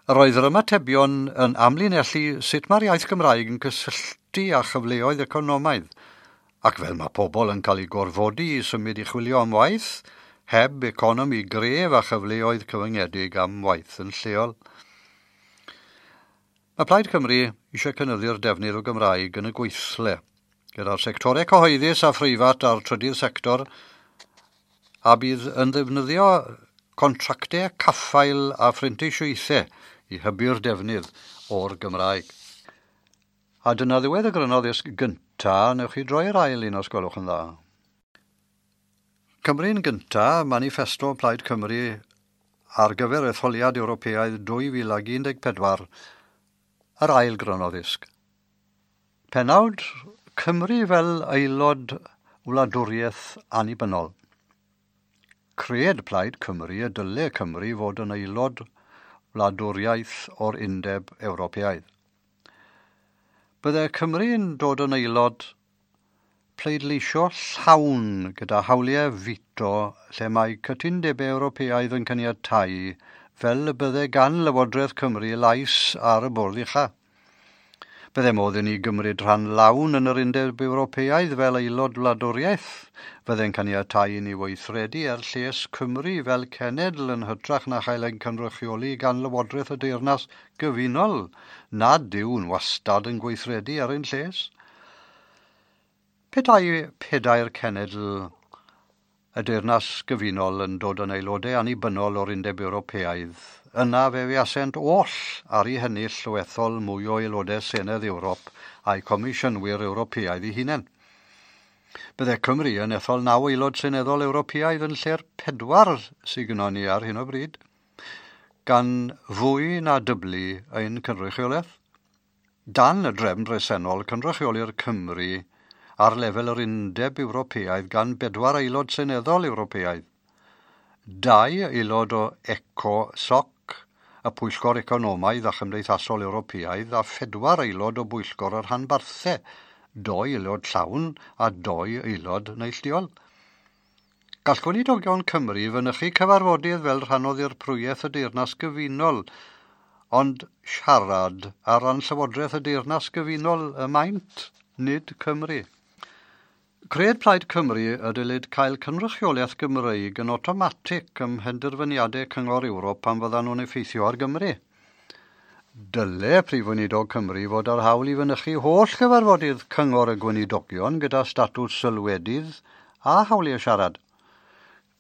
Yr oedd yr ymatebion yn amlinellu sut mae'r iaith Gymraeg yn cysylltu â chyfleoedd economaidd, ac fel mae pobl yn cael eu gorfodi i symud i chwilio am waith, heb economi gref a chyfleoedd cyfyngedig am waith yn lleol. Mae Plaid Cymru eisiau cynyddu'r defnydd o Gymraeg yn y gweithle, gyda'r sectorau cyhoeddus a phreifat a'r trydydd sector, a bydd yn ddefnyddio contractau caffael a phrentisiaethau i hybu'r defnydd o'r Gymraeg. A dyna ddiwedd y gryno ddisg gynta, newch chi droi'r ail un os gwelwch yn dda. Cymru'n gynta, manifesto Plaid Cymru ar gyfer etholiad Ewropeaidd 2014, yr ail gryno ddisg. Penawd Cymru fel aelod wladwriaeth annibynnol. Cred Plaid Cymru y dyle Cymru fod yn aelod wladwriaeth o'r Undeb Ewropeaidd. Byddai Cymru'n dod yn aelod pleidleisio llawn gyda hawliau fito lle mae cytundebau Ewropeaidd yn caniatáu fel y byddai gan Lywodraeth Cymru lais ar y bwrdd ucha. Byddai modd i ni gymryd rhan lawn yn yr Undeb Ewropeaidd fel aelod wladwriaeth. Byddai'n caniatáu i ni weithredu er lles Cymru fel cenedl yn hytrach na chael ein cynrychioli gan Lywodraeth y Deyrnas Gyfunol, nad yw'n wastad yn gweithredu ar ein lles. Petai pedair cenedl y Deyrnas Gyfunol yn dod yn aelodau annibynnol o'r Undeb Ewropeaidd, yna fe fuasent oll ar eu hennill o ethol mwy o aelodau Senedd Ewrop a'i Comisiynwyr Ewropeaidd eu hunain. Byddai Cymru yn ethol 9 aelod seneddol Ewropeaidd yn lle'r 4 sydd gynnon ni ar hyn o bryd, gan fwy na dyblu ein cynrychiolaeth. Dan y drefn bresennol, cynrychiolir Cymru ar lefel yr Undeb Ewropeaidd gan 4 aelod seneddol Ewropeaidd. 2 aelod o ECOSOC, y Pwyllgor Economaidd a Chymdeithasol Ewropeaidd, a 4 aelod o Bwyllgor yr Rhanbarthau, 2 aelod llawn a 2 aelod neilltuol. Gall Gweinidogion Cymru fynychu cyfarfodydd fel rhan o ddirprwyaeth y Deyrnas Gyfunol, ond siarad ar ran Llywodraeth y Deyrnas Gyfunol y maent, nid Cymru. Cred Plaid Cymru y dylid cael cynrychiolaeth Gymreig yn awtomatig ym mhenderfyniadau Cyngor Ewrop pan fyddan nhw'n effeithio ar Gymru. Dyle Prif Weinidog Cymru fod ar hawl i fynychu holl gyfarfodydd Cyngor y Gweinidogion gyda statws sylwedydd a hawliau siarad.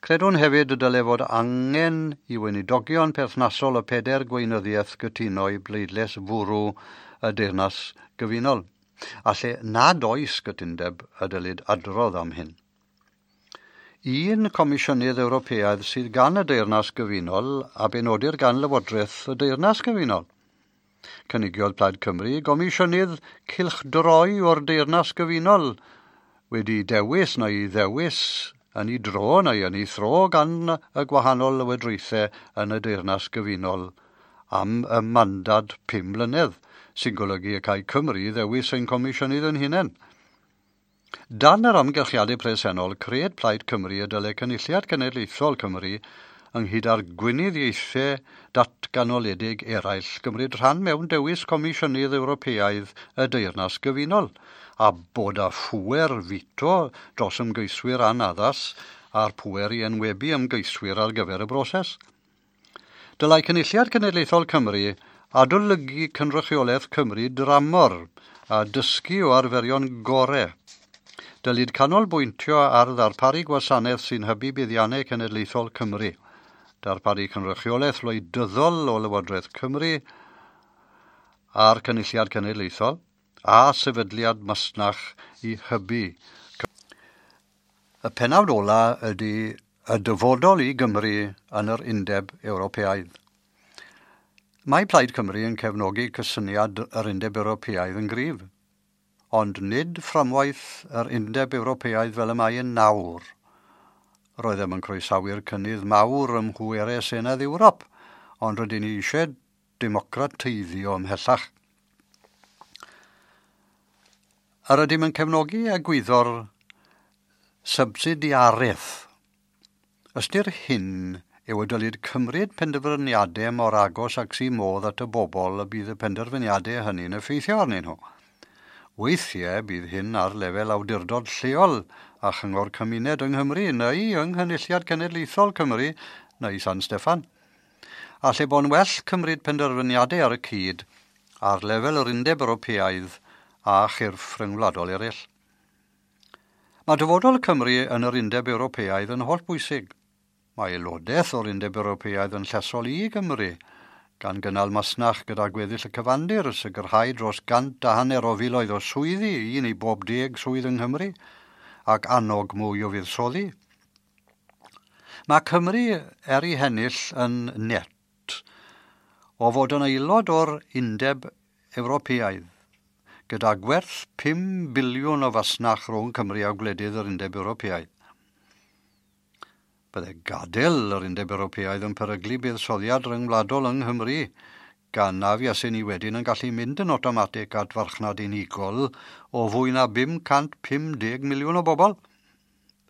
Credwn hefyd y dyle fod angen i weinidogion perthnasol y 4 gweinyddiaeth gytuno i bleidlais fwrw y Deyrnas Gyfunol, a lle nad oes gytundeb y dylid adrodd am hyn. Un Comisiynydd Ewropeaidd sydd gan y Deyrnas Gyfunol a benodir gan Lywodraeth y Deyrnas Gyfunol. Cynigiodd Plaid Cymru Gomisiynydd cylchdroi o'r Deyrnas Gyfunol wedi dewis neu ddewis yn ei dro neu yn ei thro gan y gwahanol lywodraethau yn y Deyrnas Gyfunol am y mandad 5 mlynedd, sy'n golygu y cae Cymru ddewis ein comisiynydd yn hunain. Dan yr amgylchiadau presennol, cred Plaid Cymru y dyle Cynulliad Cenedlaethol Cymru ynghyd â'r gweinyddiaethau datganoledig eraill gymryd rhan mewn dewis Comisiynydd Ewropeaidd y Deyrnas Gyfunol, a bod â phŵer fito dros ymgeiswyr anaddas a'r pŵer i enwebu ymgeiswyr ar gyfer y broses. Dylai Cynulliad Cenedlaethol Cymru adolygu cynrychiolaeth Cymru dramor a dysgu o arferion gore. Dylid canolbwyntio ar ddarparu gwasanaeth sy'n hybu buddiannau cenedlaethol Cymru, darparu cynrychiolaeth wleidyddol o Lywodraeth Cymru a'r Cynulliad Cenedlaethol, a sefydliad masnach i hybu. Y pennawd ola ydy y dyfodol i Gymru yn yr Undeb Ewropeaidd. Mae Plaid Cymru yn cefnogi cysyniad yr Undeb Ewropeaidd yn gryf, ond nid fframwaith yr Undeb Ewropeaidd fel y mae yn nawr. Roeddem yn croesawu'r cynnydd mawr ym mhwerau Senedd Ewrop, ond rydyn ni eisiau democrateiddio ymhellach. Yr ydym yn cefnogi egwyddor subsidiareth. Ystyr hyn yw y dylid cymryd penderfyniadau mor agos ag sy'n modd at y bobl y bydd y penderfyniadau hynny'n effeithio arnyn nhw. Weithiau bydd hyn ar lefel awdurdod lleol a chyngor cymuned yng Nghymru neu yng Nghynulliad Cenedlaethol Cymru neu San Steffan. A lle bo'n well cymryd penderfyniadau ar y cyd ar lefel yr Undeb Ewropeaidd a chyrff rhyngwladol eraill. Mae dyfodol Cymru yn yr Undeb Ewropeaidd yn hollbwysig. Mae aelodaeth o'r Undeb Ewropeaidd yn llesol i Gymru, gan gynnal masnach gyda gweddill y cyfandir, sicrhau dros 150 o filoedd o swyddi, 1 i bob 10 swydd yng Nghymru, ac annog mwy o fuddsoddi. Mae Cymru er ei hennill yn net o fod yn aelod o'r Undeb Ewropeaidd, gyda gwerth 5 biliwn o fasnach rhwng Cymru a gwledydd yr Undeb Ewropeaidd. Bydde gadael yr Undeb Ewropeaidd yn peryglu buddsoddiad rhyngwladol yng Nghymru, gan na fuaswn ni wedyn yn gallu mynd yn awtomatig at farchnad unigol o fwy na 550 miliwn o bobl.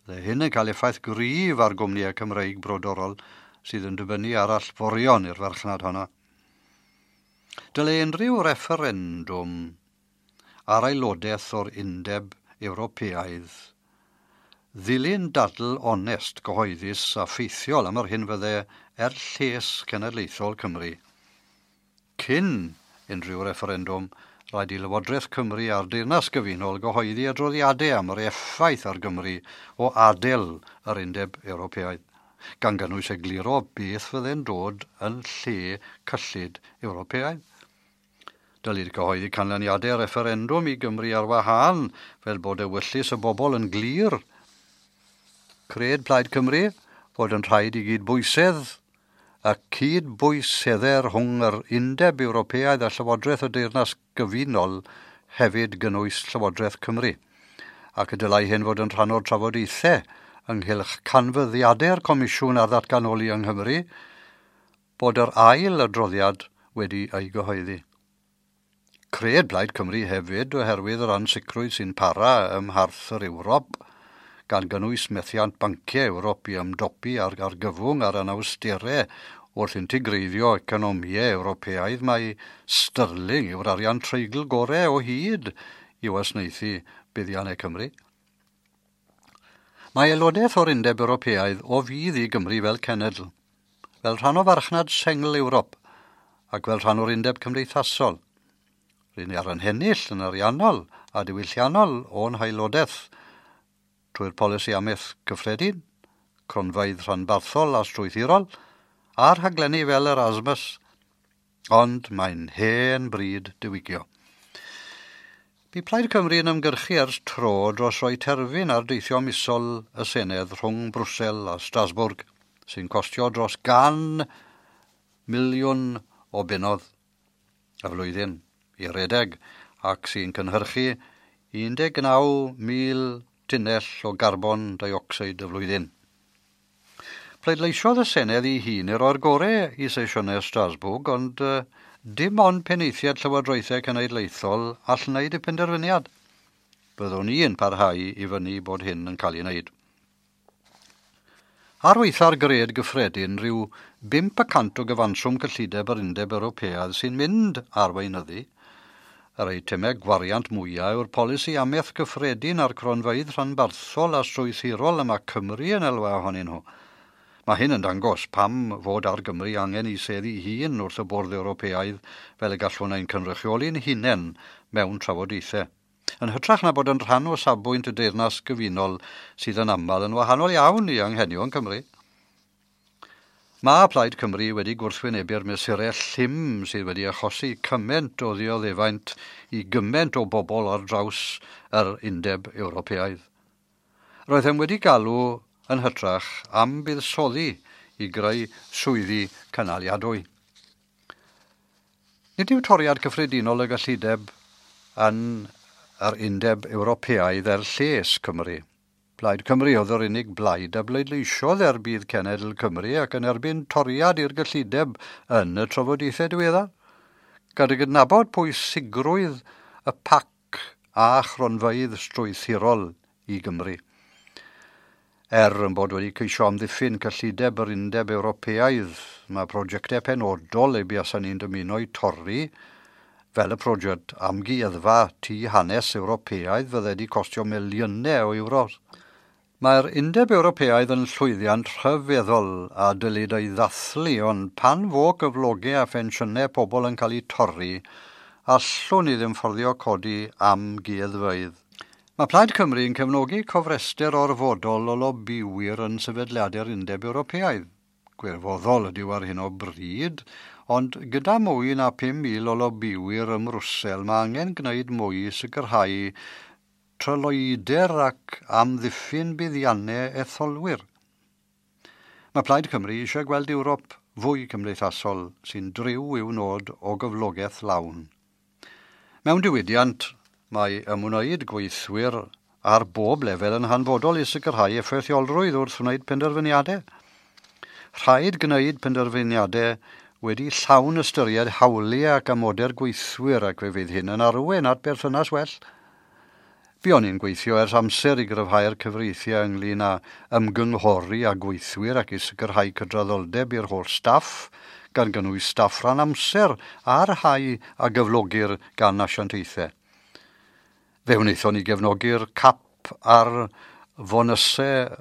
Bydde hyn yn cael effaith gryf ar gwmnïau Cymreig brodorol sydd yn dibynnu ar allforion i'r farchnad honno. Dylai unrhyw refferendwm ar aelodaeth o'r Undeb Ewropeaidd ddilyn dadl onest, gyhoeddus a ffeithiol am yr hyn fydde er lles cenedlaethol Cymru. Cyn unrhyw refferendwm, rhaid i Lywodraeth Cymru a'r Deyrnas Gyfunol gyhoeddi adroddiadau am yr effaith ar Gymru o adael yr Undeb Ewropeaidd, gan gynnwys egluro beth fydde'n dod yn lle cyllid Ewropeaidd. Dylid cyhoeddi canlyniadau refferendwm i Gymru ar wahân, fel bod ewyllys y bobl yn glir. Cred Plaid Cymru fod yn rhaid i gydbwysedd a cydbwysedder rhwng yr Undeb Ewropeaidd a Llywodraeth y Deyrnas Gyfunol hefyd gynnwys Llywodraeth Cymru, ac y dylai hyn fod yn rhan o'r trafodaethau ynghylch canfyddiadau'r Comisiwn ar ddatganoli yng Nghymru, bod yr ail adroddiad wedi ei gyhoeddi. Cred Plaid Cymru hefyd oherwydd yr ansicrwydd sy'n para ym mharth yr Ewrop, gan gynnwys methiant banciau Ewrop i ymdopi ar argyfwng a'r anawsterau wrth integreiddio economïau Ewropeaidd, mae sterling yw'r arian treigl gorau o hyd i wasanaethu buddiannau Cymru. Mae aelodaeth o'r Undeb Ewropeaidd o fudd i Gymru fel cenedl, fel rhan o farchnad sengl Ewrop ac fel rhan o'r Undeb Cymdeithasol. Ry'n ni ar ein hennill yn ariannol a diwylliannol o'n haelodaeth trwy'r polisi amaeth gyffredin, cronfeydd rhanbarthol a strwythurol, a'r rhaglenni fel Erasmus, ond mae'n hen bryd diwygio. Bu Plaid Cymru yn ymgyrchu ers tro dros roi terfyn ar deithio misol y Senedd rhwng Brwsel a Strasbourg, sy'n costio dros 100 miliwn o bunnoedd y flwyddyn i redeg, ac sy'n cynhyrchu 19,000 tunnell o garbon dioxide y flwyddyn. Pleidleisiodd y Senedd ei hun i roi'r gorau i sesiynau Strasbourg, ond dim ond penaethiaid llywodraethau cenedlaethol all wneud y penderfyniad. Byddwn ni yn parhau i fyny bod hyn yn cael ei wneud. Ar weitha'r gred gyffredin, rhyw 5% o gyfanswm cyllideb yr Undeb Ewropeaidd sy'n mynd ar weinyddu. Yr eitemau gwariant mwyaf yw'r polisi amaeth gyffredin a'r cronfeydd rhanbarthol a strwythurol y mae Cymru yn elwa ohonyn nhw. Mae hyn yn dangos pam fod ar Gymru angen i seddi hun wrth y bwrdd Ewropeaidd fel y gallwn ein cynrychioli'n hunain mewn trafodaethau. Yn hytrach na bod yn rhan o safbwynt y Deyrnas Gyfunol sydd yn aml yn wahanol iawn i anghenion Cymru. Mae Plaid Cymru wedi gwrthwynebu'r mesurau llym sydd wedi achosi cymaint o ddioddefaint i gymaint o bobl ar draws yr Undeb Ewropeaidd. Roeddem wedi galw yn hytrach am buddsoddi i greu swyddi cynaliadwy. Nid yw toriad cyffredinol y gyllideb yn yr Undeb Ewropeaidd er lles Cymru. Plaid Cymru oedd yr unig blaid a bleidleisiodd er budd cenedl Cymru ac yn erbyn toriad i'r gyllideb yn y trafodaethau diweddar. Gyda gydnabod pwysigrwydd y PAC a chronfeydd strwythurol i Gymru. Er yn bod wedi ceisio amddiffyn cyllideb yr Undeb Ewropeaidd, mae prosiectau penodol eu buasan ni'n dymuno i torri, fel y prosiect amgueddfa Tŷ Hanes Ewropeaidd fydde wedi costio miliynau o euros. Mae'r Undeb Ewropeaidd yn llwyddiant rhyfeddol a dylid ei ddathlu, ond pan fo gyflogau a phensiynau pobl yn cael eu torri, allwn ni ddim fforddio codi amgueddfeydd. Mae Plaid Cymru yn cefnogi cofrestr orfodol o lobiwyr yn sefydliadau'r Undeb Ewropeaidd. Gwirfoddol ydyw ar hyn o bryd, ond gyda mwy na 5,000 o lobiwyr ym Mrwsel, mae angen gwneud mwy i sicrhau tryloywder ac amddiffyn buddiannau etholwyr. Mae Plaid Cymru eisiau gweld Ewrop fwy cymdeithasol sy'n driw i'w nod o gyflogaeth lawn. Mewn diwydiant, mae ymwneud gweithwyr ar bob lefel yn hanfodol i sicrhau effeithiolrwydd wrth wneud penderfyniadau. Rhaid gwneud penderfyniadau wedi llawn ystyried hawliau ac amodau'r gweithwyr, ac fe fydd hyn yn arwain at berthynas well. Buon ni'n gweithio ers amser i gryfhau'r cyfreithiau ynglyn â ymgynghori â gweithwyr ac i sicrhau cydraddoldeb i'r holl staff, gan gynnwys staff rhan amser a'r rhai a gyflogir gan asiantaethau. Fe wnaethon ni gefnogi'r cap ar fonysau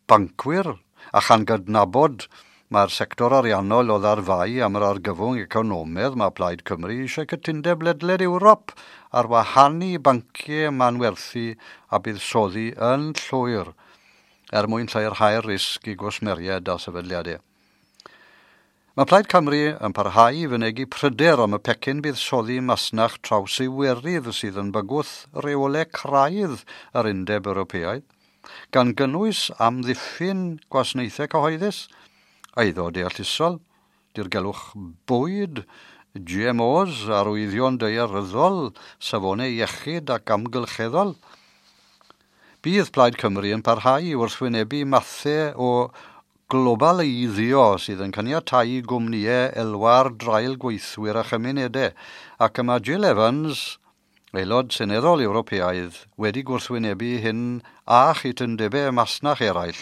bancwyr a chan gydnabod mae'r sector ariannol oedd ar fai am yr argyfwng economaidd, mae Plaid Cymru eisiau cytundeb ledled Ewrop ar wahanu banciau manwerthu a buddsoddi yn llwyr er mwyn lleihau'r risg i gwsmeriaid a sefydliadau. Mae Plaid Cymru yn parhau i fynegi pryder am y pecyn buddsoddi masnach traws Iwerydd sydd yn bygwth reolau craidd yr Undeb Ewropeaidd, gan gynnwys amddiffyn gwasanaethau cyhoeddus, eiddo deallusol, dirgelwch bwyd, GMOs, arwyddion daearyddol, safonau iechyd ac amgylcheddol. Bydd Plaid Cymru yn parhau i wrthwynebu mathau o globaleiddio sydd yn caniatáu gwmnïau elwa ar draul gweithwyr a chymunedau, ac y mae Jill Evans, aelod seneddol Ewropeaidd, wedi gwrthwynebu hyn a chytundebau masnach eraill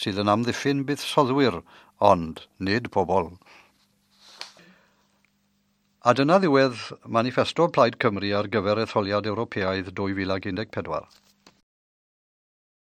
sydd yn amddiffyn buddsoddwyr, ond nid pobl. A dyna ddiwedd manifesto Plaid Cymru ar gyfer etholiad Ewropeaidd 2014.